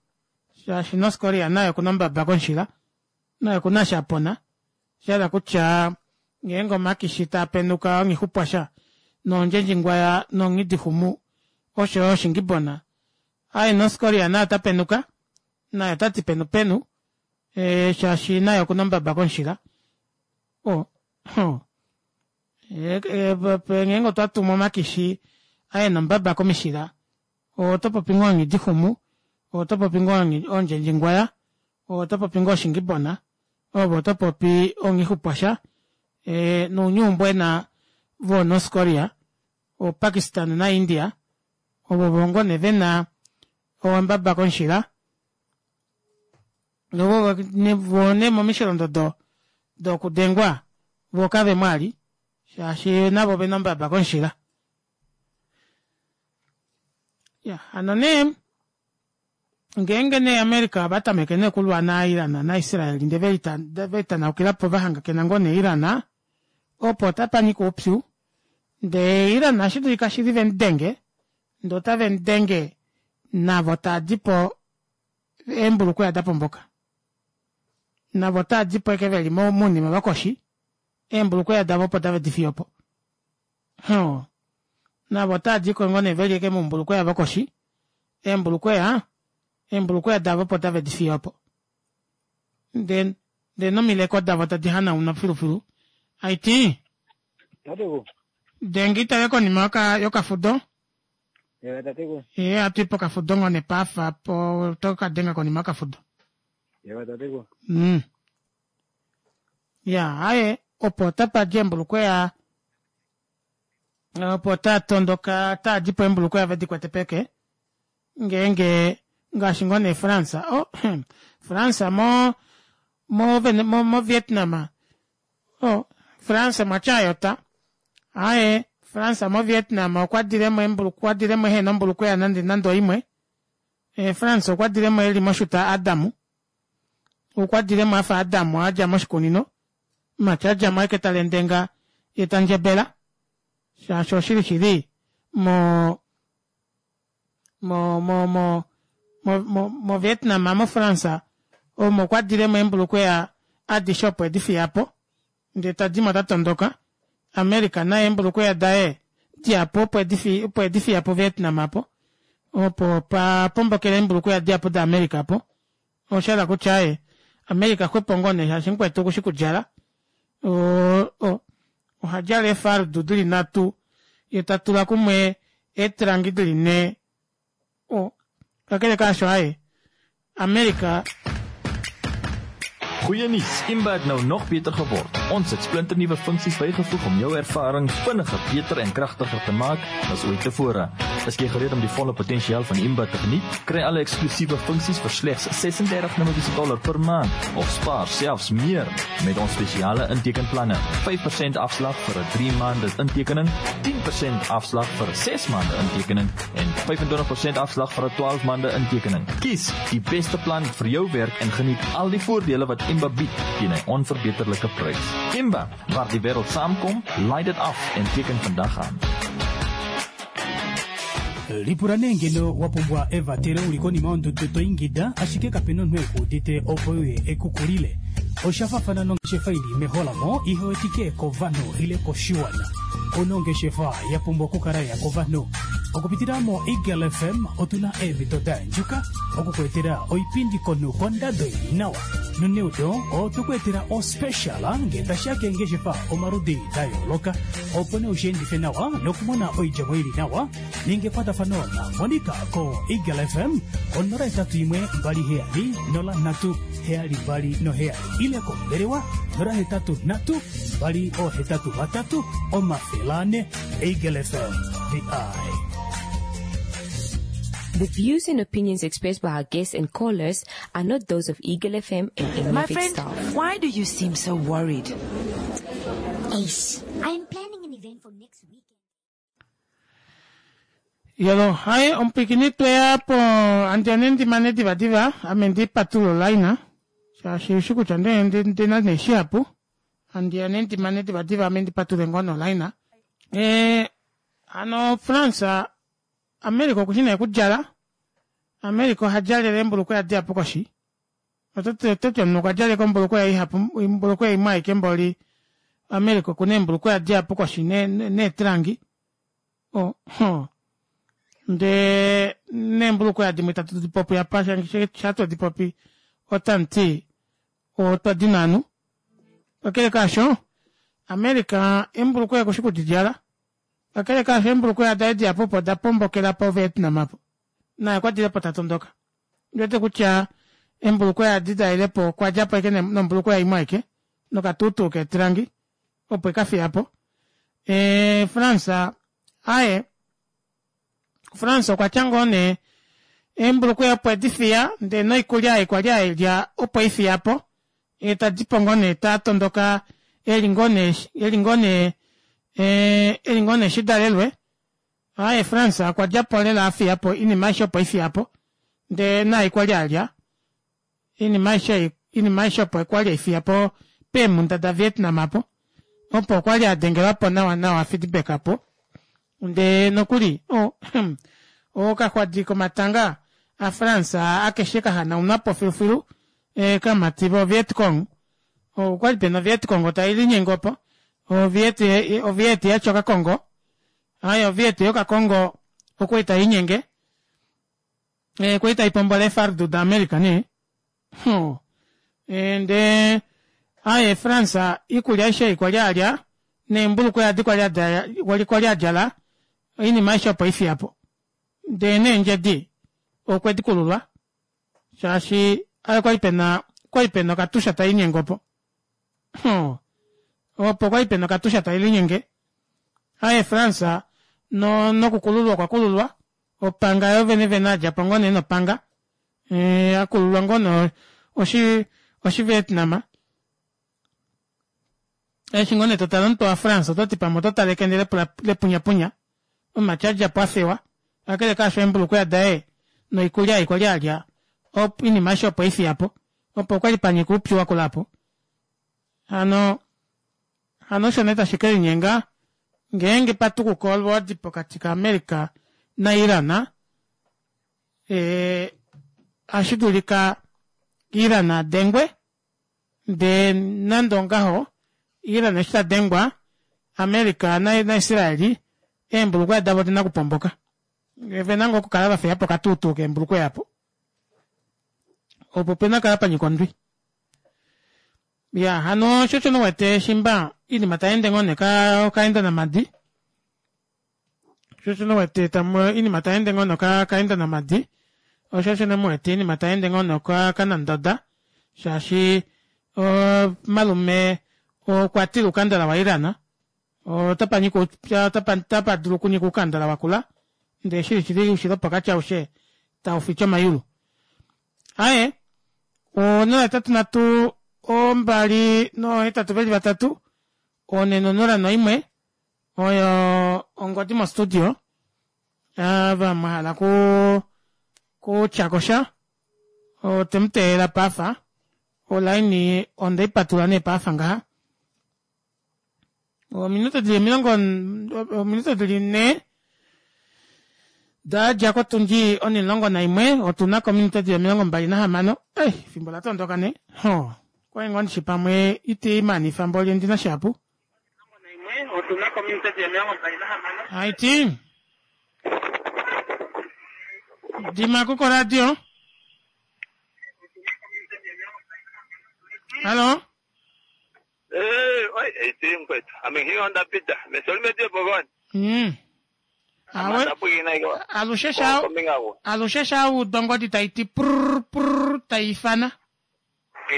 shaashi North Korea naye okuna ombaba komushila naye okuna eshi apona shahala kutya ngeenge omakishi taa penuka onghixupwasha nondjendjingwaya nonghidixumu osho yo oshingibona aye North Korea naye ota penuka naye otati penu penu e, shaashi naye okuna ombaba komushila o ho e, e, ngeenge otwa tumu omakishi aye nombaba komishila oto popi ngoo onghidixumu oto popi ngoo ondjendjingwaya oto popi ngoo oshingibona ovo oto popi onghixupwasha e, nounyuumbwena vo North Korea o Pakistan na India ovo vongo ne vena owambaba komushila novo vo ne momisholondodo dokudengwa vo kave mwali shaashi navo vena ombaba komushila. Ya hano nee ngeenge nee America ova tameke nee okulwa na Iran na Israel ndee velitanaukila vahangakena ngoo ne Iran opo otapa nyika oupyu ndee Iran ohashi dulika shili vemudenge ndee otave mudenge navo taadipo eembulukweya da pomboka navo otaadipo eke veli mounima vakoshi eembulukweya davo opo tave difiyopo ho navo otaadiko ngoo nee veli eke moumbulukweya vokoshi eembulukweya eembulukweya davo opo tave difiyopo ndee ndee nomileko davo tadi hanaunwa filufilu aiti denge itale konima yoka yokafudo ye atu pokafudo ngoo nepaafa po tokadenga konima yokafudo mm. Ya aye Opo otapa di eembulukweya opo taatondoka taadipo eembulukweya vedikwete peke ngeenge ngaashi ngoo nee France oh France mo mo mo Vietnam oh France mwatya ayota aaye France mo Vietnam okwadilemo okwadilemo ehena ombulukweya nande nande oimwe e France okwadilemo eli moshuta Adamu okwadilemo afa Adamu adja moshikunino mati adjamo aike talendenga ye tandjebela shaashi oshili shili mo mo mo mo mo mo Vietnam mo France omo okwadilemo eembulukweya adishe opo edifiyapo ndee tadimo tatondoka America naye eembulukweya daye dihapu opo edifi opo edifiyapo Vietnam apo opo pa pombokela eembulukweya dihapu da America apo oshahala kutya aaye America xwepo ngoo nee shaashi mukwetu okushi kudjala o o ohadjala eefardu dili nhatu yee tatula kumwe eetrangi dili nhee o kakele kaasho aaye America Goeie nuus, Imba het nou nog beter geword. Ons het splinternuwe funksies bygevoeg om jou ervaring vinniger, beter en kragtiger te maak as ooit tevore. Is jy gereed om die volle potensiaal van Imba te geniet? Kry alle eksklusiewe funksies vir slegs ses-en-dertig Namibiese dollar per maand of spaar selfs meer met ons spesiale intekenplanne. vyf persent afslag vir 'n drie maande intekening, tien persent afslag vir 'n ses maande intekening en vyf-en-twintig persent afslag vir 'n twaalf maande intekening. Kies die beste plan vir jou werk en geniet al die voordele wat Imba bied teen 'n onverbeterlike prys. Imba, waar die wêreld saamkom, laai dit af en teken vandag aan. Lipula nee ngeno wa pumbwa evatelo uli konima yondudu to ingida ashike kape na omunhu e ku udite opo uye e ku kulile. Osha fafana nongeshefa ili meholamo ihe wetike kovanhu ile koshiwana. Kuna ongeshefa ya pumbwa okukala ya kovanhu. Okupitila mo Eagle F M otuna eemhito da andjuka okukuetela oipindi komunhu kondado ili nawa. Noneudo otukuetela ospecial ngee tashiya keengeshefa omaludi da yooloka opo nee ushiendife nawa nokumona oidjemo ili nawa ninga ekwatafano na Monica ko Eagle F M onola etatu imwe mbali heyali nola nhatu heyali mbali noheyali ile kombelewa nola hetatu nhatu mbali ohetatu vatatu omafele ane. Eagle F M, the eye. The views and opinions expressed by our guests and callers are not those of Eagle F M and any My of its friend, staff. Why do you seem so worried? Ace, I'm planning an event for next weekend. Yolo, hai, omupikini tweya po andjane ndimane diva diva, ame ndi patulo laina. Shaashi ushi kutya nde ndi ndina neshihapu. Andjane ndimane diva diva ame ndi patule ngono laina. Eh, ano France, America okushina ekudjala. America oha djalele embulukweya dihapu koshi. Ototi omunhu okwa djaleka ombulukweya ihapu, ombulukweya imwe aike mboli. America okuna eembulukweya dihapu koshi ne, ne, neetrangi. Oh, ho. Nde neembulukweya dimwe tatu dipopi apa, sha dipopi otanti otwa dinanu. Kakele kaasho, America embulukweya kushi kudidjala. Kakele kaasho embulukweya daye dihapu opo da pombokela po Vietnam apo. Naye okwa dile po tatondoka. Ndiwete kutya embulukweya adi dailepo okwa djapo aike nombulukweya imwe aike nokatuutuu keetrangi opo ekafiyapo. E, France aye France okwa tya ngoo nee eembulukweya opo edifiya ndee noikulya ei kwali ailya opo ifiyapo ye tadipo ngoo nee tatondoka eli ngoo nee eli ngoo nee eli ngoo nee shidalelwe. Aye France okwa djapo lela afiyapo oinima aishe opo ifiyapo ndee naai kwali alya oinima aishe oinima aishe opo kwali aifiyapo peemunda da Vietnam apo opo okwali adengelwapo nawa nawa feedback apo ndee nokuli oh, okaxwadi komatanga a France akeshe kahanaunwapo filufilu e, kamati vo Vietcong okwali pena Vietcong tailinyengo opo oviet oviet yacho okakongo aye oviet yokakongo okwali tainyenge e, kwali taipombola efardu da America ne oh. e, ndee aye France ikulya aishe kwali alya neembulukweya adi kwali kwali adjala oinima aishe opo ifiyapo ndee neendjedi okwe dikululwa shaashi aye kwali pena kwali pena okatusha tainyengo opo oh. Opo kwali pena okatusha tai linyenge. Aye France no nokukululwa okwa kululwa. Opanga yo vene vene adja po ngoo nee nopanga. E, akululwa ngoo nee oshi oshi Vietnam. Eshi ngoo nee totale omutwe waFrance oto ti pamwe oto tale ekende lepunyapunya. Omumati adja po afewa. Kakele kaasho eembulukweya daye noikulya ei kwali alya op, oinima aishe opo eifiya po. Opo kwali panyika oupyu wakula apo. Hano hano osho nee tashi ke linyenga ngeenge patukuka olwoodi pokati kaAmerica naIran. E, ohashi dulika Iran a dengwe ndee nande ongaho Iran eshi ta dengwa America naIsraeli eembulukweya davo odina okupomboka. Vena ngoo okukala va fiya po okatuutuu keembulukweya apo. Opo pena kala panyika ondwi. Ya hano osho osho wete shimba iinima tayeende ngoo nee okaenda namadi. Osho osho wete tamu iinima tayeende ngoo nee okaenda namadi. Osho osho muwete iinima tayeende ngoo nee okanandoda shaashi malume okwa tila oukandala waIran. Otapa nyika otapa dulu okunyika oukandala wakula ndee shili shili oushilo wopokati aushe taufiche omayulu. Aaye onola hetatu nhatu ombali nohetatu veli vatatu one nonola noimwe oyo ongodi mo studio ava mwahala ku kutyakosha otemuteelela pafa olaini ondeipatulula nee pafa ngaha. Ominute dili omilongo ominute dili nhee dadja kotundi onimulongo naimwe otuna ko ominute dili omilongo mbali nahamano. Ei efimbo latondoka nee. Ho okwali ngoo ndishi pamwe iti manifa mboli ondina shihapu. Haiti dimako koradio. Hallo. Eh, oi, iti mkwetu. Ame ngiyo ndapita. Mesolime pogoni. Mm. Awe alushe sha alushe sha udongodi taiti prr prr taifana.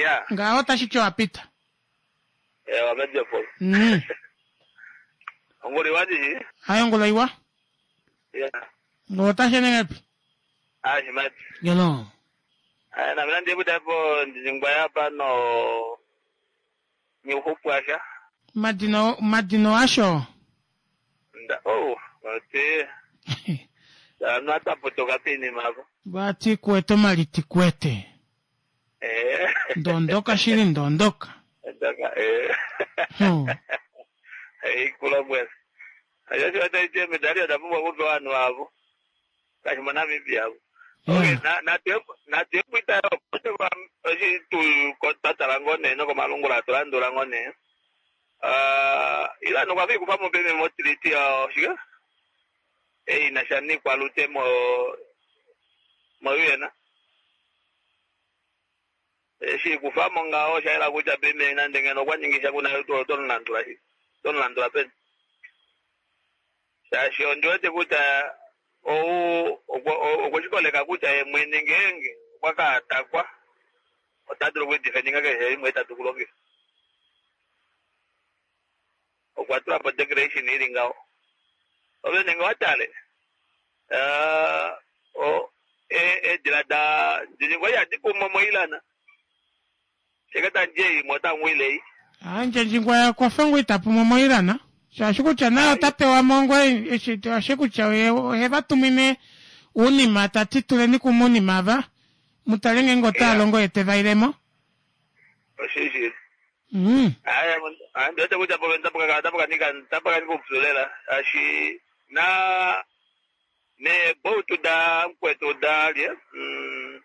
Ya. Ngaho tashi ti wapita. Eh, wameje po. Mm. Ngoli wadi. Hayo ngolo iwa. Ya. Ngotashe nengapi? Ah, shimati. Yolo. Ah, na mina ndiye hapo ndingwa hapa no ni uhupwasha. Madino madino asho. Nda oh, bati. Na tapotoka pini mako. Bati kweto maliti kwete. Eh. Ndondoka shili ndondoka. Ndondoka eh. Hmm. Eh, kula bwesa. Ayo sio ite medali adapumbwa kupewa vanhu avo. Kashima Namibia avo. Okay, na na na tepwita oshi tu tatala ngone noko malungula tulandula ngone. Ah, ila nokwa vi kupa mobeme mo treaty ya shika. Eh ina shani kwa lute mo mo yena. Eshi kufa mo ngao shaila kuja beme na ndenge nokwa nyingisha kuna to to landula shi. To landula pen. Shashi ondiwete kuta ou okoshikoleka kutya ye mwene ngeenge okwa ka atakwa ota dulu okudifendinga keshe imwe itatu kulongifa. Okwa tula po declaration ili ngaho. Ove nenge watale uh, eedila da ndiningwa ihadi pumo moilana sheke tandje imwe otangwilei. Andje kwafa ngoo itapumo moilana. Shaashi kutya naye ota pewa mo ngoo eshi ashi kutya ohe vatumine uunima tati tuleni kumwe uunima ava mutale ngeenge otaa longo ye tevailemo. Oshishili. Mm. Aya, ndiwete kutya po tapakanika tapakanika upyu lela ashi na ne boutu da mkwetu da lye mm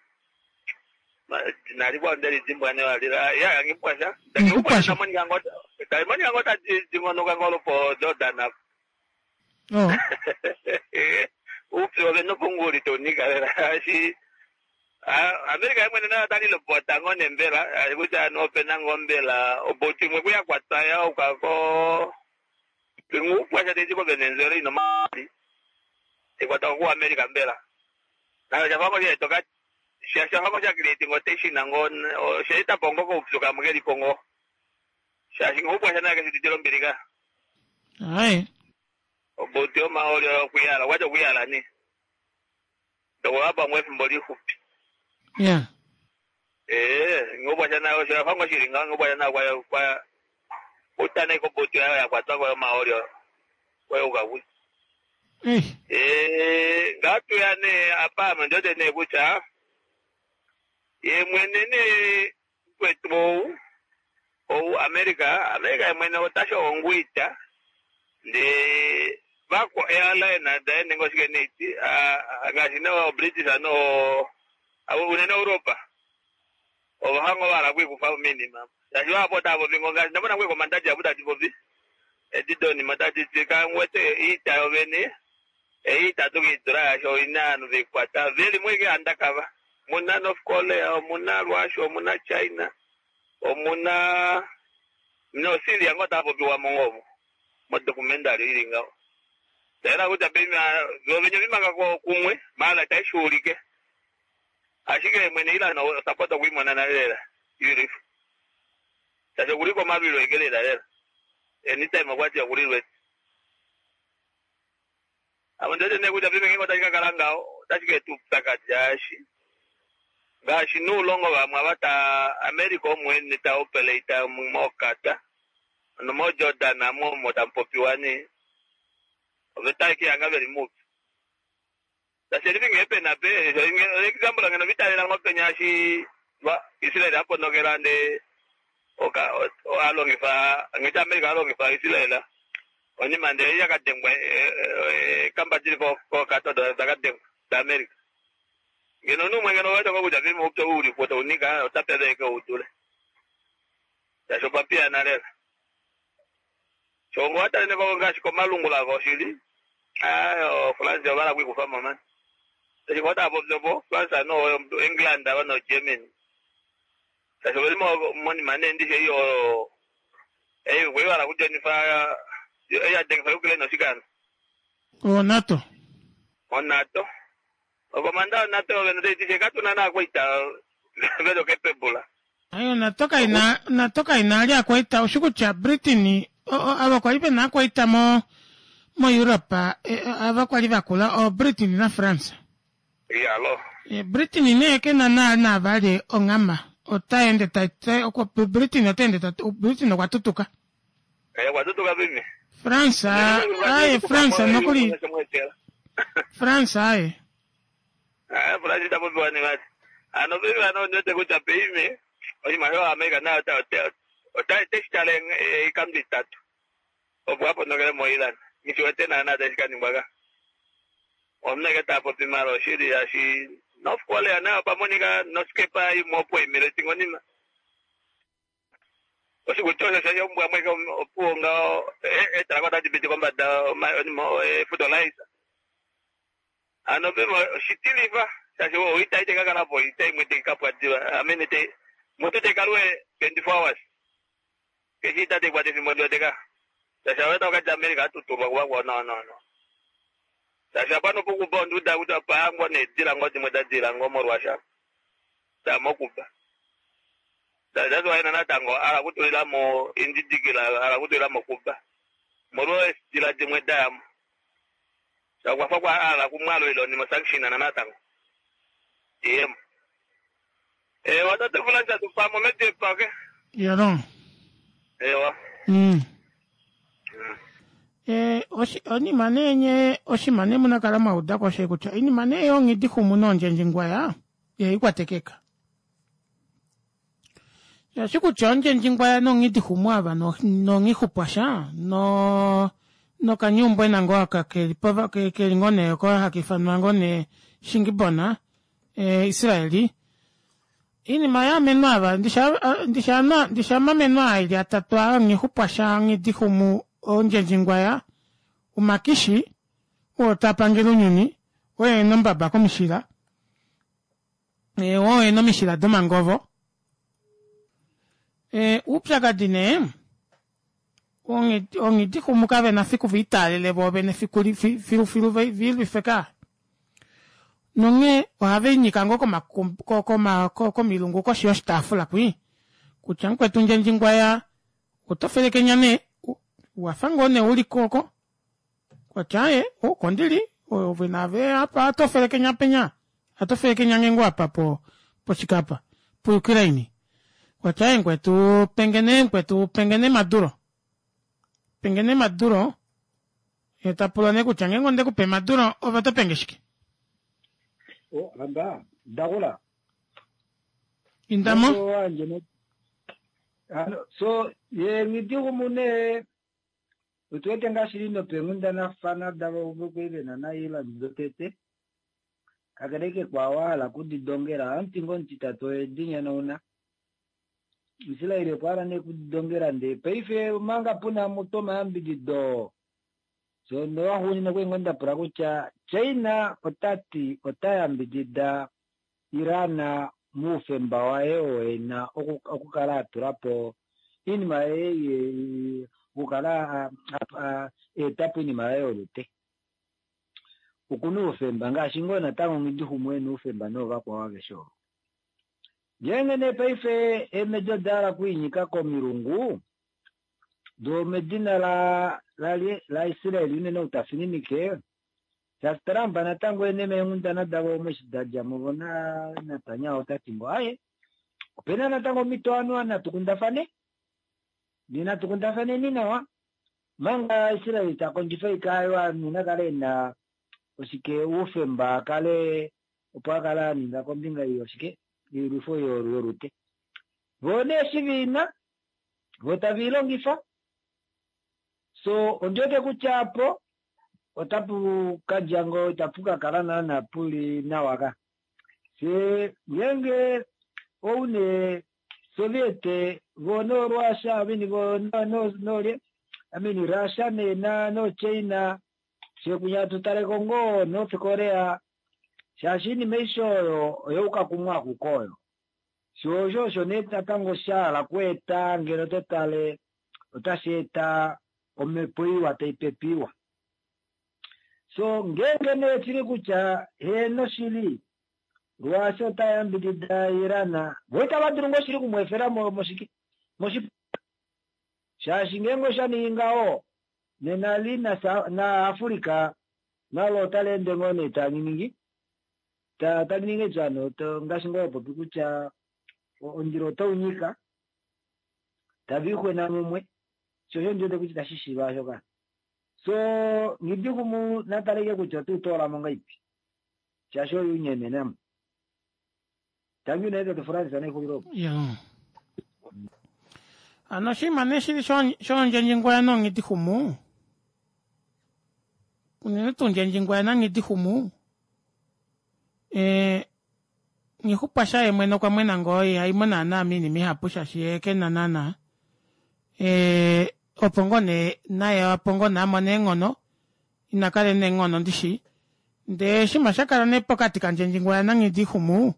nalikuwa ndeli dimbwa ne walila ya ngipwasha Ngipwasha. tamonika ngo tamonika ngo tadingonoka ngolo po Jordan apo. Oh. Upyu ove nopunguli tonika lela ashi Amerika imwene nayo talilopota ngo nembela kutya nopena ngo mbela oboutu imwe kuyakwata yaukako ngupwasha teti ko Venezuela ino mali ikwata ku Amerika mbela nayo shafango shaitoka shafango shakileti ngo teshina ngo shaita pongo koupyu kamwe kelipo ngo Shaashi nghoupwasha naye keshuditile ombili ka. Aye. Obuti omahooli oyo okuyala, okwati okuyala nee. Ndokulapa ngwefimbo lixupi. Yeah. Ee, nghoupwasha naye osho yafa ngo shili ngaho nghoupwasha naye kwa kwa utane kobuti yayo yakwatwa kwayo omahooli oyo. Kwayuka kwi. Eh. Ee, ngatuya nee apa ame ndiwete nee kutya ye mwene nee kwetu ou ou America, America ye mwene otasho onguita ndee vakwa airline daye nenge oshike neiti ngaashi no British no unene Europa ova hanga ova hala okwiikufa moinima shaashi vahapu otava popi ngo ngaashi ndamona ngwe komanda dihapu tadi popi edi donima tadi ti kangwete iita yovene ei itatu kiidula yasho oina ovanhu veikwata veli mweke handakava muna North Korea omuna Russia omuna China omuna no Syria ngo tava popiwa mongomo modocumentary ili ngaho taela kutya pema vovenye vimanga kumwe mala taishuulike ashike mwene ila no sapota okuimona nale lela beautiful shaashi okuliko omalwilo eke lela lela anytime okwati okulilwe amo ndiwete nee kutya pime ngenge otashi kakala ngaho otashi keeta oupyakadi shaashi ngaashi nuulongo vamwe ava ta America omwene ta operate mokata nomoJordan amo omo tamu popiwa nee oveta eke yanga veli muupyu tashi livi ngee pena pe example ngeno vitalela ngo penya shi Israel aponokela nde oka alongifa ngeti America alongifa Israel onima nde yakadengwa kamba dili kokata dakadengwa da America ngeno numwe ngeno waita ngo kutya vime upyo uli po taunika otapeleke utule tasho papia nalela chongo atalene ko ngaashi komalungula koshili ayo France ovala kwikufa mama tachikota popyopo France no England ava no Germany tasho veli monima nendishe iyo eyi kwevala kujonifa eyadengifa Ukraine oshikano O NATO. O NATO. Okomanda o NATO vene teitishe katuna nakwaita velo capable. Ayo NATO kaina NATO kaina ali akwaita oshikutya Britain ava kwali pena akwaita mo mo Europe ava kwali vakula o Britain na France. Yalo. E Britain ne ke na na na vale ongama otaende tate okwa Britain otaende tate Britain okwa tutuka. Eh kwa tutuka vimi. France aye France nokuli France aye. Ah France itapopiwa ni vati. Ano vimi ano nyote kutya peime oshimaliwa America nayo ota ota teshitale ikambi itatu. Opo aponokele mo Iran. Ngishiwete naana tashikaningwa ka. Omuneke tapopi mara oshili yashi North Korea nayo pamonika nosikepa imwe opo imile tingonima. Oshikuti osho shombwa mweke opuwo ngaho etalako tadi piti kombada fertilizer. Ano pimo oshitilifa shaashi oita ite kakalapo ita imwe tekapwa diva. Amene te mutu tekalwe twenty-four hours. Keshi ita tekwata efimbo ndiweteka. Shaashi aweta wakati America atutulwa kuva no no no. Shaashi apano pukuba onduda kuti apangwa nedila ngo dimwe dadila ngo molwasha. Damokuba. That's why natango ala kutulila mo indidikila ala kutulila mo kuba. Molwo dila dimwe dayamo. Shakwafa kwa ala kumwalo ilo ni sanction na natango. Yem. Eh watate fulanja tupamo mete pake. Yalo. Ewa. Mm. Eh oshi onima nenye oshimane munakala mwauda kwashe kutya inima ne yongidi humu nondjenjingwaya ye ikwatekeka. Yashikutya ondjenjingwaya nongidi humu ava no nongihupwasha no nokanyumbwe nango aka keli pova keli ngone ko hakifanwa ngone shingibona eh Israeli inima yamenwa ava ndisha ndisha ndisha mamenwa ili atatu ngihupwasha ngidi humu ondjenjingwaya umakishi otapangela unyuni oye nombaba komishila e oye nomishila domangovo e upyakadi ne ongidi humu kave na fiku vitalele vovene fiku filu filu vilifeka nonge ohave nyika ngo koma koma komilungu koshi yoshitaafula kwi kutya nkwetu ndjenjingwaya Oto felekenya nee wafa ngoo nee uli koko kwatya aye oko ndili ove naave apa oto felekenya penya oto felekenya ngenge apa po poshikapa pu Ukraine kwatya aaye mukwetu pengene mukwetu pengene Maduro pengene Maduro yee tapula nee kutya ngenge ondekupe Maduro ove otopenge shike. Oh, hamba ndakula indamo so ye ngidihumune otuwete ngaashi lino peenghundanafana davo vokuivena naIreland dotete kakele ke kwawa kudidongela omutingo omutitatu oyedinyonauna Israel okwa hala nee kudidongela ndee paife omanga puna mutu omayambidido so nowaxuunina okwali ngoo ndapula kutya China otati ota yambidida Iran moufemba waye oo ena okukala atulapo oinima yaye okukala aetapo oinima yaye yolute okuna oufemba ngaashi ngoo natango Nghidixumu ena oufemba noovakwao aveshe ovo. Ngeenge nee paife eemedi oda hala okwiinyika komilungu doo medina la laIsrael unene ou tafininike shaashi Trump natango ene meenghundana davo omo eshi dadjamo vo naNetanyahu otati ngoo aaye opena natango omhito ovanhu natu kundafane natu kundafaneni nawa manga Israel takondjifa ika ovanhu nakale ena oshike oufemba akale opo akale aninga kombinga yoshike yoilwifo yolute voo nee eshi viina vo taviilongifa so ondiwete kutya apo otapu kadja ngoo itapu kakala naana puli nawa ka fyee ngeenge oune Soviet vo noRussia I mean vo nolye I mean Russia nee noChina fyee kunya tutaleko ngoo North Korea shaashi oinima aishe oyo oyauka kumwe akuke oyo shoo osho osho nee natango shahala okweeta ngeno totale otashi eta omhepo iwa taipepe iwa so ngeenge nee shili kutya heeno shili Russia ota yambidida Iran vo itava dulu ngoo shili okumweefela moshike moshiponga shaashi ngeenge oshaningi ngaho nena li naAfrica nalo otali ende ngoo nee tali tali ningi etswano ngaashi ngoo wapopi kutya omundilo otaunyika taviixwena mumwe sho osho ndiwete kutya itashi shiiva osho so Nghidixumu nataleke kutya otautoolamo ngahelipi shaashi oye unyenenamo tangi unene tate Francis nexulilo opo. Hano oshinima nee shili shoondjendjingwaya noonghidixumu unene tuu ndjendjingwaya nanghidixumu ee nghixupwasha yeemwene okwa mwena ngoo ihaimo naana moinima ihapu shaashi yee kena naana ee opo ngoo nee naye opo ngoo nee amone eenghono inakala ena eenghono ndishi ndee oshinima shakala nee pokati kandjendjingwaya nanghidixumu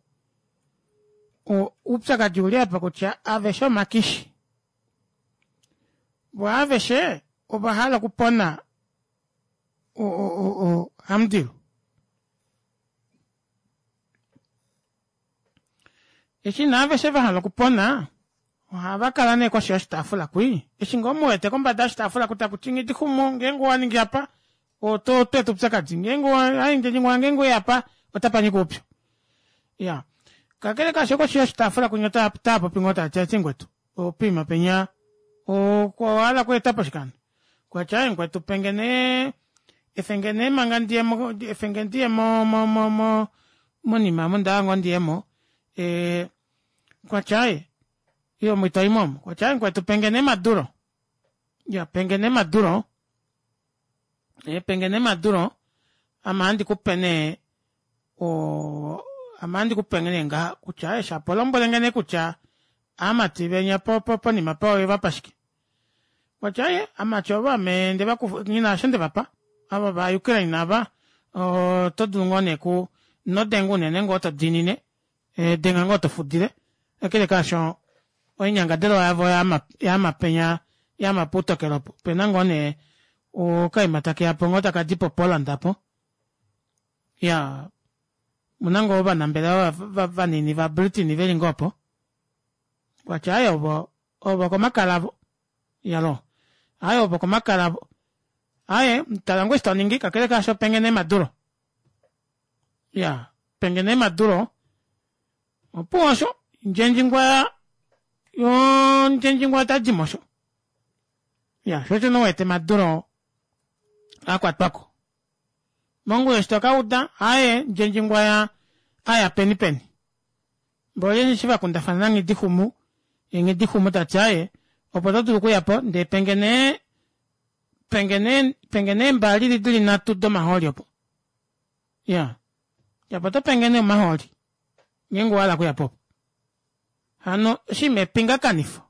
oupyakadi ouli apa kutya aveshe omakishi voo aveshe ovahala okupona hamudilu eshi nee aveshe vahala okupona ohava kala nee koshi yoshitaafula kwii eshi ngoo muwete kombada yoshitaafula ku takuti nghidixumu ngeenge owaningi apa oto tweeta oupyakadi ngeenge ndjendjingwaya ngeenge oweya apa otapanyika oupyu iya kakele kaasho koshi yoshitaafula kunya otaapopi ngoo taati ati mukwetu poima penya owahala okweetapo shike hano okwati aaye mukwetu penge nee efenge nee manga ndiyemo efenge ndiye mo mo mo monima omu ondahala ngoo ndiyemo ee okwati aaye ile omo itoyimo omo okwati aaye mukwetu penge nee Maduro iya penge nee Maduro penge nee Maduro ame ohandi kupe nee oo ame ohandi kupe nee ngaha kutya aaye shapo lombwelenge nee kutya aamati venya ponima pa owevapa shike okwati aaye aamati ovo ame ndevakufa nghina osho ndevapa ava va Ukraine ava oto dulu ngoo nee ku inodenga unene ngoo todiinine denga ngoo tofudile kakele kaasho oinyangadalwa yavo yaama penya yaama puutokelo opo opena ngoo nee okaima takeyapo ngoo takadi po Poland apo iyaa omuna ngoo ovanambelewa vanini va Britain veli ngoo opo okwati aaye ovo ovo komakala avo Yalo. Aye opo komakala aye tala ngoo eshi toningi kakele kaasho penge nee Maduro. Ya penge nee Maduro opuwo osho Ndjendjingwaya yoo Ndjendjingwaya otadimo osho. Ya shoo osho nee uwete Maduro akwatwako. Mongula eshi tokauda aaye Ndjendjingwaya aya peni peni. Mboli eshi vakundafana naNghidixumu yee Nghidixumu tati aaye opo todulu okuyapo ndee penge nee penge nee penge nee eembaali dili nhatu domahooli opo. Iyaa shapo otopenge nee omahooli ngeenge owahala okuyapo opo. Hano oshiima epingakanifo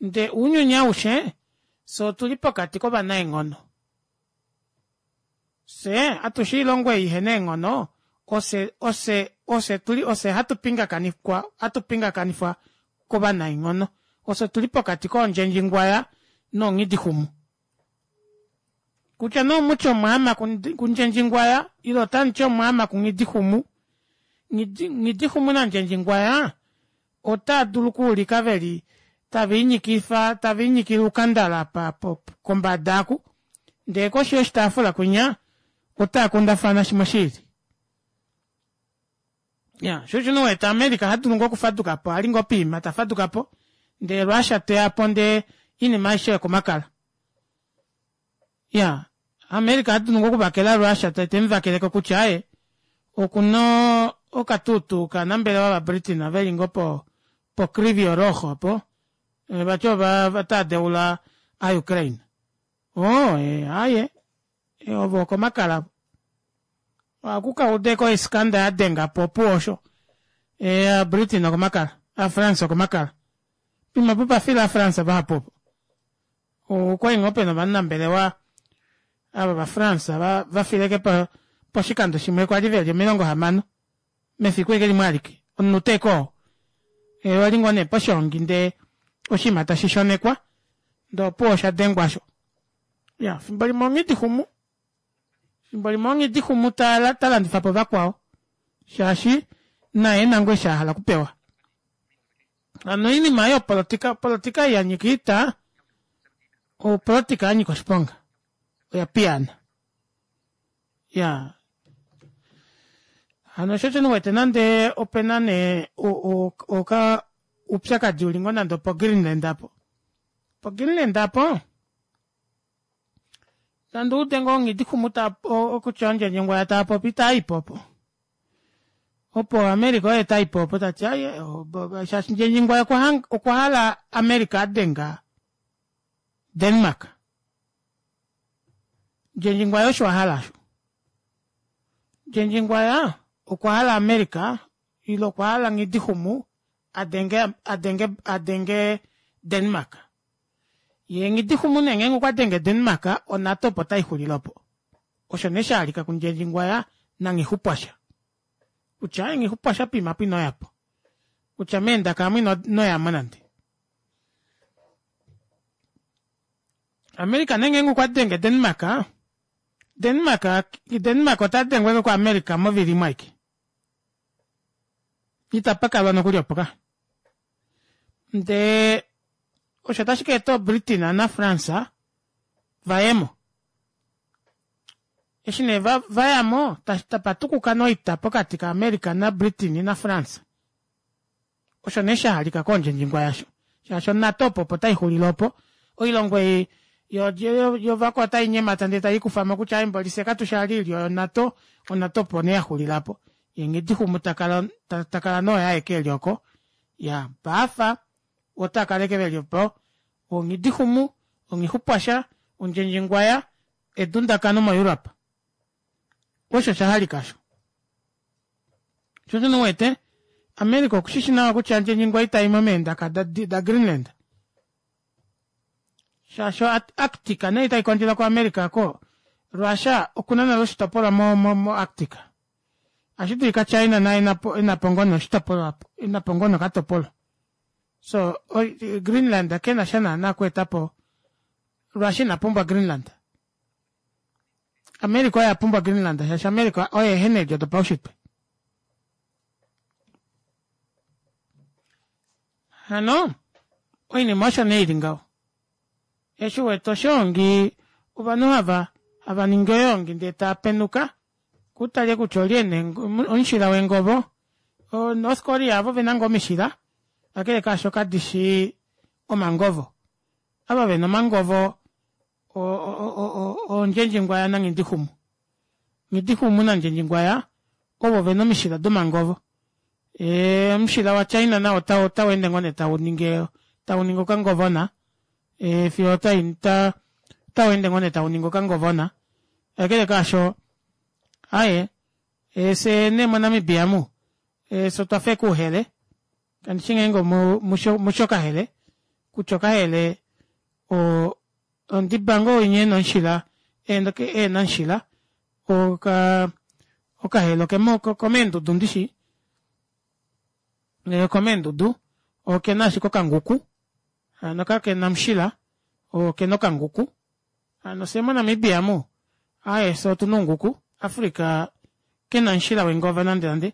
ndee ounyuni aushe fyee otuli pokati kovanaenghono fyee atushe oilongo ei ihena eenghono ofye ofye ofye tuli ofye hatu pingakanifwa hatu pingakanifwa kovanaenghono ofye tuli pokati koondjendjingwaya noonghidixumu kutya nee omutye omwaama kundjendjingwaya ile otamuti omwaama kunghidixumu Nghidixumu nandjendjingwaya otaadulu okuulika veli taviinyikifa taviinyikile oukandala apa kombada aaku ndee koshi yoshitaafula kwinya otaakundafana shimwe shiili. Iyaa shoo osho nee uwete america hadulu ngoo okufadukapo ali ngoo poima tafadukapo ndee russia teyapo ndee oinima aishe okomakala. Iyaa america ohadulu ngoo okuvakela russia temuvakeleko kutya aaye okuna okatutu kovanambelewa va britain veli ngoo po po krivio rogo opo vati ota deula a ukraine. Oo aaye ove okomakala ohaku kaudeko oiskanda yadengapo opuwo osho ee britain okomakala a france okomakala poima opo opafila ovafrance vahapu opo okwali ngoo pena ovanambelewa ava va france vafile ashike poshikando shimwe kwali veli omilongo hamano mefiku ashike limwe alike omunute ashike oo wali ngoo nee poshoongi ndee oshinima tashi shonekwa ndee opuwo oshadengwa aasho. Iyaa fimbo limwe onghidixumu fimbo limwe onghidixumu talandifapo vakwao shaashi naye ena ngoo eshi ahala okupewa. Hano oinima ei yopolitika opolitika ei yanyika oita opolitika yanyika oshiponga oya piyaana. Iyaa hano shoo osho nee uwete nande opena nee oka oupyakadi uli ngoo nande opo greenland aapo. Po greenland aapo nande oude ngoo nghidixumu kutya oondjendjengwaya taapopi itaipo opo. Opo america oye taipo opo tati aaye shaashi ndjendjingwaya okwahala america adenga denmark. Ndjendjingwaya osho ahala aasho. Ndjendjingwaya okwahala america ile okwahala nghidixumu adenge adenge adenge denmark. Yee nghidixumu nee ngeenge okwadenge denmark onato opo taixulile opo. Osho nee shahalika kundjendjingwaya nanghixupwasha. Kutya aaye nghixupwasha poima aapo inoyapo. Kutya meendaka aamu inoyamo nande. America nee ngeenge okwadenge denmark denmark denmark otadengwa ashike ku america movili imwe aike. Itapakalwa nokuli opo ka. Ndee osho otashi kaeta britain na france vayemo. Eshi nee vayamo tapatukuka nee oita pokati ka america na britain na france. Osho nee shahalika koondjendjingwaya aasho shaashi onato opo opo taixulile opo. Oilongo ei yovakwa otainyemata ndee taikufamo kutya aaye mboli fyee katushi vali oilyo yonato onato opo nee yaxulila aapo. Yee nghidixumu takala takala nee oye aeke eli oko. Iyaa paafa otaakala ashike veli opo onghidixumu onghixupwasha ondjendjingwaya edundakano mo europe. Osho oshahalika aasho. Shoo osho nee uwete america okushishi nawa kutya ndjendjingwaya itaimo meendaka da greenland. Shaashi arctic nee itaikondjelwa ku america aako russia okuna nale oshitopolwa mo mo arctic. Ohashidulika china naye enapo ngoo nee oshitopolwa enapo ngoo nee okatopolwa. So greenland kenasha naana okweetapo russia ina pumbwa greenland. America oye apumbwa greenland shaashi america oye ehena eedjo dopaushitwe. Hano oinima osho nee ili ngaho. Eshi wete oshoongi ovanhu hava hava ningi oyoongi ndee taa penuka kutale kutya olye nee omushila wengovo. O North Korea avo vena ngoo omishila kakele kaasho kadishi omangovo. Ava vena omangovo oNdjendjingwaya naNghidixumu. Nghidixumu naNdjendjingwaya ovo vena omishila domangovo. Ee omushila wa China nao ota weende ngoo nee tauningi tauningi okangovona ee fiyo ota otaweende ngoo nee tauningi okangovona. Kakele kaasho aaye fyee nee mo Namibia omu fyee otwafa ashike ouhele kandishi ngeenge omushi okahele kutya okahele oo ondiba ngoo winya ena omushila ehena omushila okaa okahele okomeendudu ndishi okomeendudu okena ashike okanguku hano kakena omushila okena okanguku hano fyee mo Namibia omu aaye fyee otuna ounguku Africa kena omushila wengova nande nande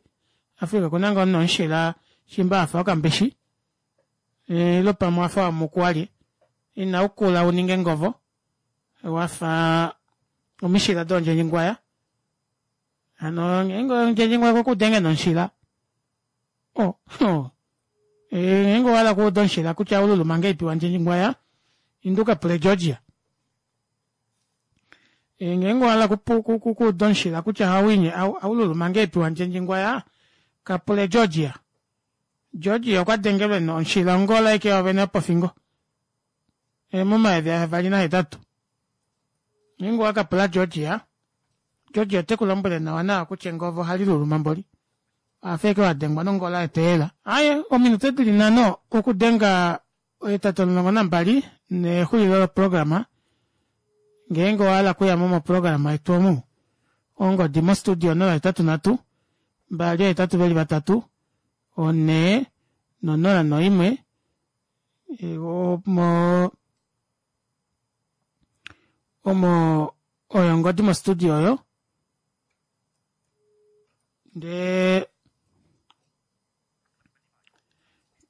Africa okuna ngoo nee omushila shimba wafa wokambishi ile pamwe owafa wamuku walye inaukula uninge engovo wafa omishila doondjendjingwaya hano ngeenge ndjendjingwaya okwekuuda ena omushila oh ngeenge owahala okuuda omushila kutya ohaululuma ngahelipi wandjendjingwaya inda ukapule Georgia. Ngeenge owahala okuuda omushila kutya ohaululuma ngahelipi wandjendjingwaya kapule Georgia. Georgia okwa dengelwe omushila ongola ashike yoovene yopofingo momayovi ahavali nahetatu. Ngeenge owakapula Georgia, Georgia otekulombwele nawa nawa kutya engovo ohaliluluma mboli owafa ashike wadengwa nongola yeteyela. Aaye ominute dili nhano okudenga ohetatu omulongo nambali nexulilo loprograma ngeenge owahala okuyamo moprograma yetu omu ongodi mo studio onola hetatu nhatu mbali ohetatu veli vatatu onhee nonola noimwe omo omo oyo ongodi mo studio oyo ndee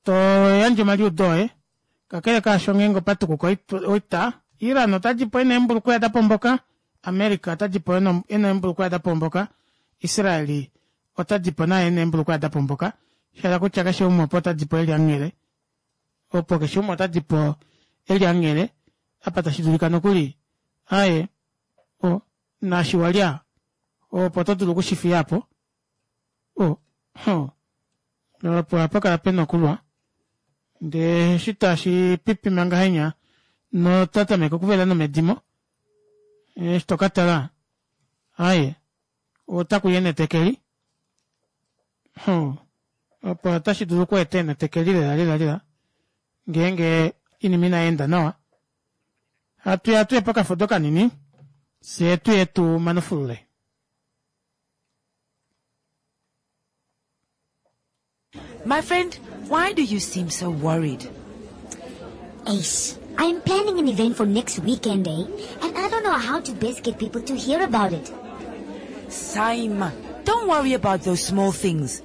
toyandje omaliudo oye kakele kaasho ngeenge opatukuka oita Iran otadipo ena eembulukwea dapomboka America otadipo ena eembulukwea dapomboka Israel otadipo naye ena eembulukwea dapomboka shahala kutya keshe umwe opo otadipo eli anghele opo keshe umwe otadipo eli anghele apa tashi dulika nokuli aaye o naashi walya opo todulu okushifiyapo o opo ohapakala pena okulwa ndee eshi tashi pipima ngahenya notatameke okuvela nomedimo eshi tokatala aaye otakuya enetekeli opo otashi dulu okweeta enetekeli lela lela lela ngeenge oinima inayeenda nawa. Hatuya tuye pokafudo kanini fyee tuye tumanufulule. My friend, why do you seem so worried? Ace, I'm planning an event for next weekend, eh? And I don't know how to best get people to hear about it. Saima, don't worry about those small things.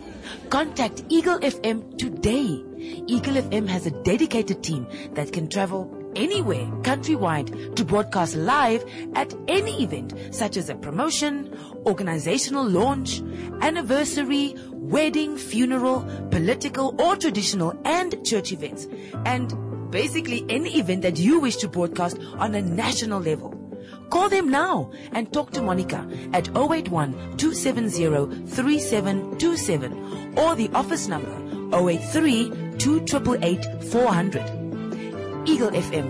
Contact Eagle F M today. Eagle F M has a dedicated team that can travel anywhere countrywide to broadcast live at any event such as a promotion, organizational launch, anniversary, wedding, funeral, political or traditional and church events, and basically any event that you wish to broadcast on a national level. Call them now and talk to Monica at oh eight one, two seven zero, three seven two seven or the office number oh eight three, two triple eight, four hundred. Eagle F M,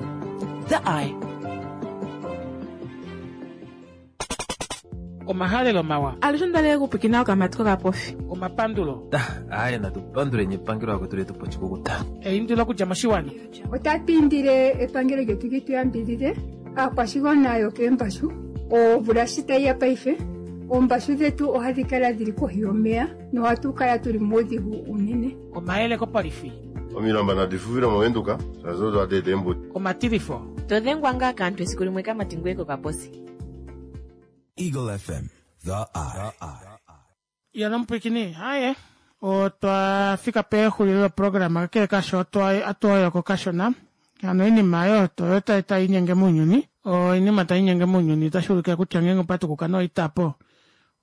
the eye. Omahalelo mawa. Alushe ndale kupikina okamati kokapofi. Omapandulo. Aye, natupandule nyepangelo akwetu letu pochikukuta. Eindilo kudja moshiwana. Otatu indile epangelo lyetu li tu yambidhidhe aakwashigwana yokeembashu. Omvula shi tayi ya paife, oombashu dhetu ohadhi kala dhili kohi yomeya nohatu kala tuli muudhigu unene. Omayele kopolifi. Omilamba nadi fufile movenduka, shaashi odo hadi eta eembuto. Omatilifo. Todhengwa ngaa kaantu esiku limwe kamati ngoye kokaposi. Eagle F M, the eye. Yena omupwikini, haye. Otwa fika pexulilo loprograma, kakele kasho otwa atuoyoko kashona. Hano oinima oyo oyo taiinyenge mounyuni, oinima taiinyenge mounyuni otashuulike kutya ngeenge opatukuka nee oita aapo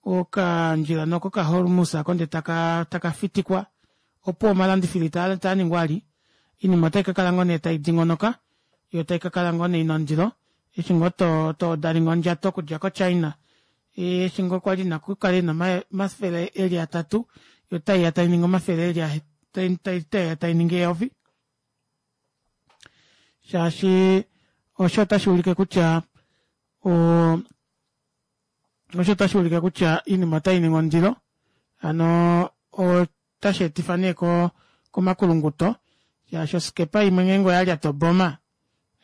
okandjila nee oko ka Hormus aako ndee taka taka fitikwa opuwo omalandifilo itaaningwa vali oinima otaikakala ngoo nee taidingonoka yoo taikakala ngoo nee ina ondilo eshi ngoo toodalinga ondjato okudja ko china eshi ngoo kwali ina okukala ina omafele eli atatu yoo otaiya tainingi omafele eli otaiya tainingi eyovi shaashi osho otashuulike kutya oo osho otashuulike kutya oinima otainingi ondilo hano otasheetifa nee komakulunguto shaashi oskepa imwe ngeenge oyalyata oboma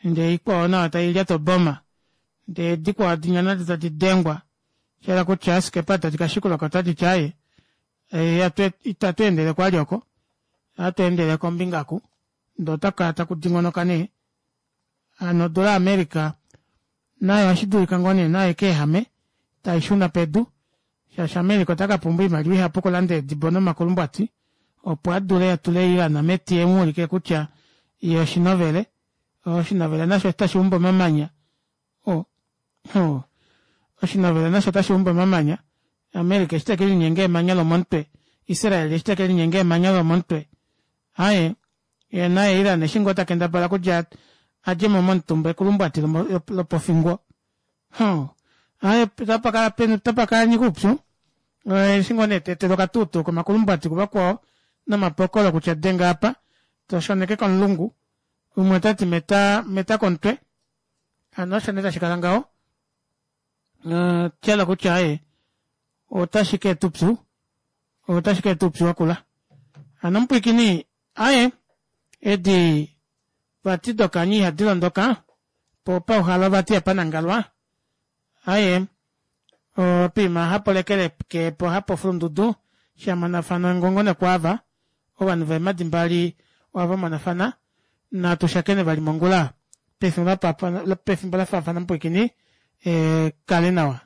ndee ikwao nayo tailyata oboma ndee dikwao dinya nado tadi dengwa oshahala kutya eeskepa tadi kashikulako otaditi aaye ita tweendeleko vali oko ohatweendele kombinga oku ndee otakukala taku dingonoka nee hano odora ya america nayo ohashidulika ngoo nee nayo ikeehame taishuna pedu shaashi america otakapumbwa oimaliwa ihapu okulanda eedibo nomakulumbwati opo adule atule iran meti emuulike kutya yee oshinovele oshinovele nasho otashuumbu omamanya oh oh oshinovele nasho otashuumbu omamanya america eshi tekelinyenga emanya lomomutwe israel eshi tekelinyenga emanya lomomutwe aaye yee naye iran eshi ngoo takendabala kutya adjemo momutumba ekulumbwati lopofingo huh aaye otapakala otapakala nyika oupyu eshi ngoo nee tweetelwa okatuutuu komakulumbwati kuvakwao nomapokolo kutya denga apa toshoneke komulungu umwe otati meta meta komutwe hano osho nee tashikala ngaho tyela kutya aaye otashi keeta upyu otashi keeta upyu wakula hano omupwiikini aaye edi vati dokanyi ihadi londoka po pauhalo vati apanangalwa aaye opiima hapo lekele po hapo fulundudu shamonafana ongongo nokwaava ovanhu veemadi mbali ohava monafana natu shakene vali mongula pefimbo lafaafana mupwiikini kale nawa.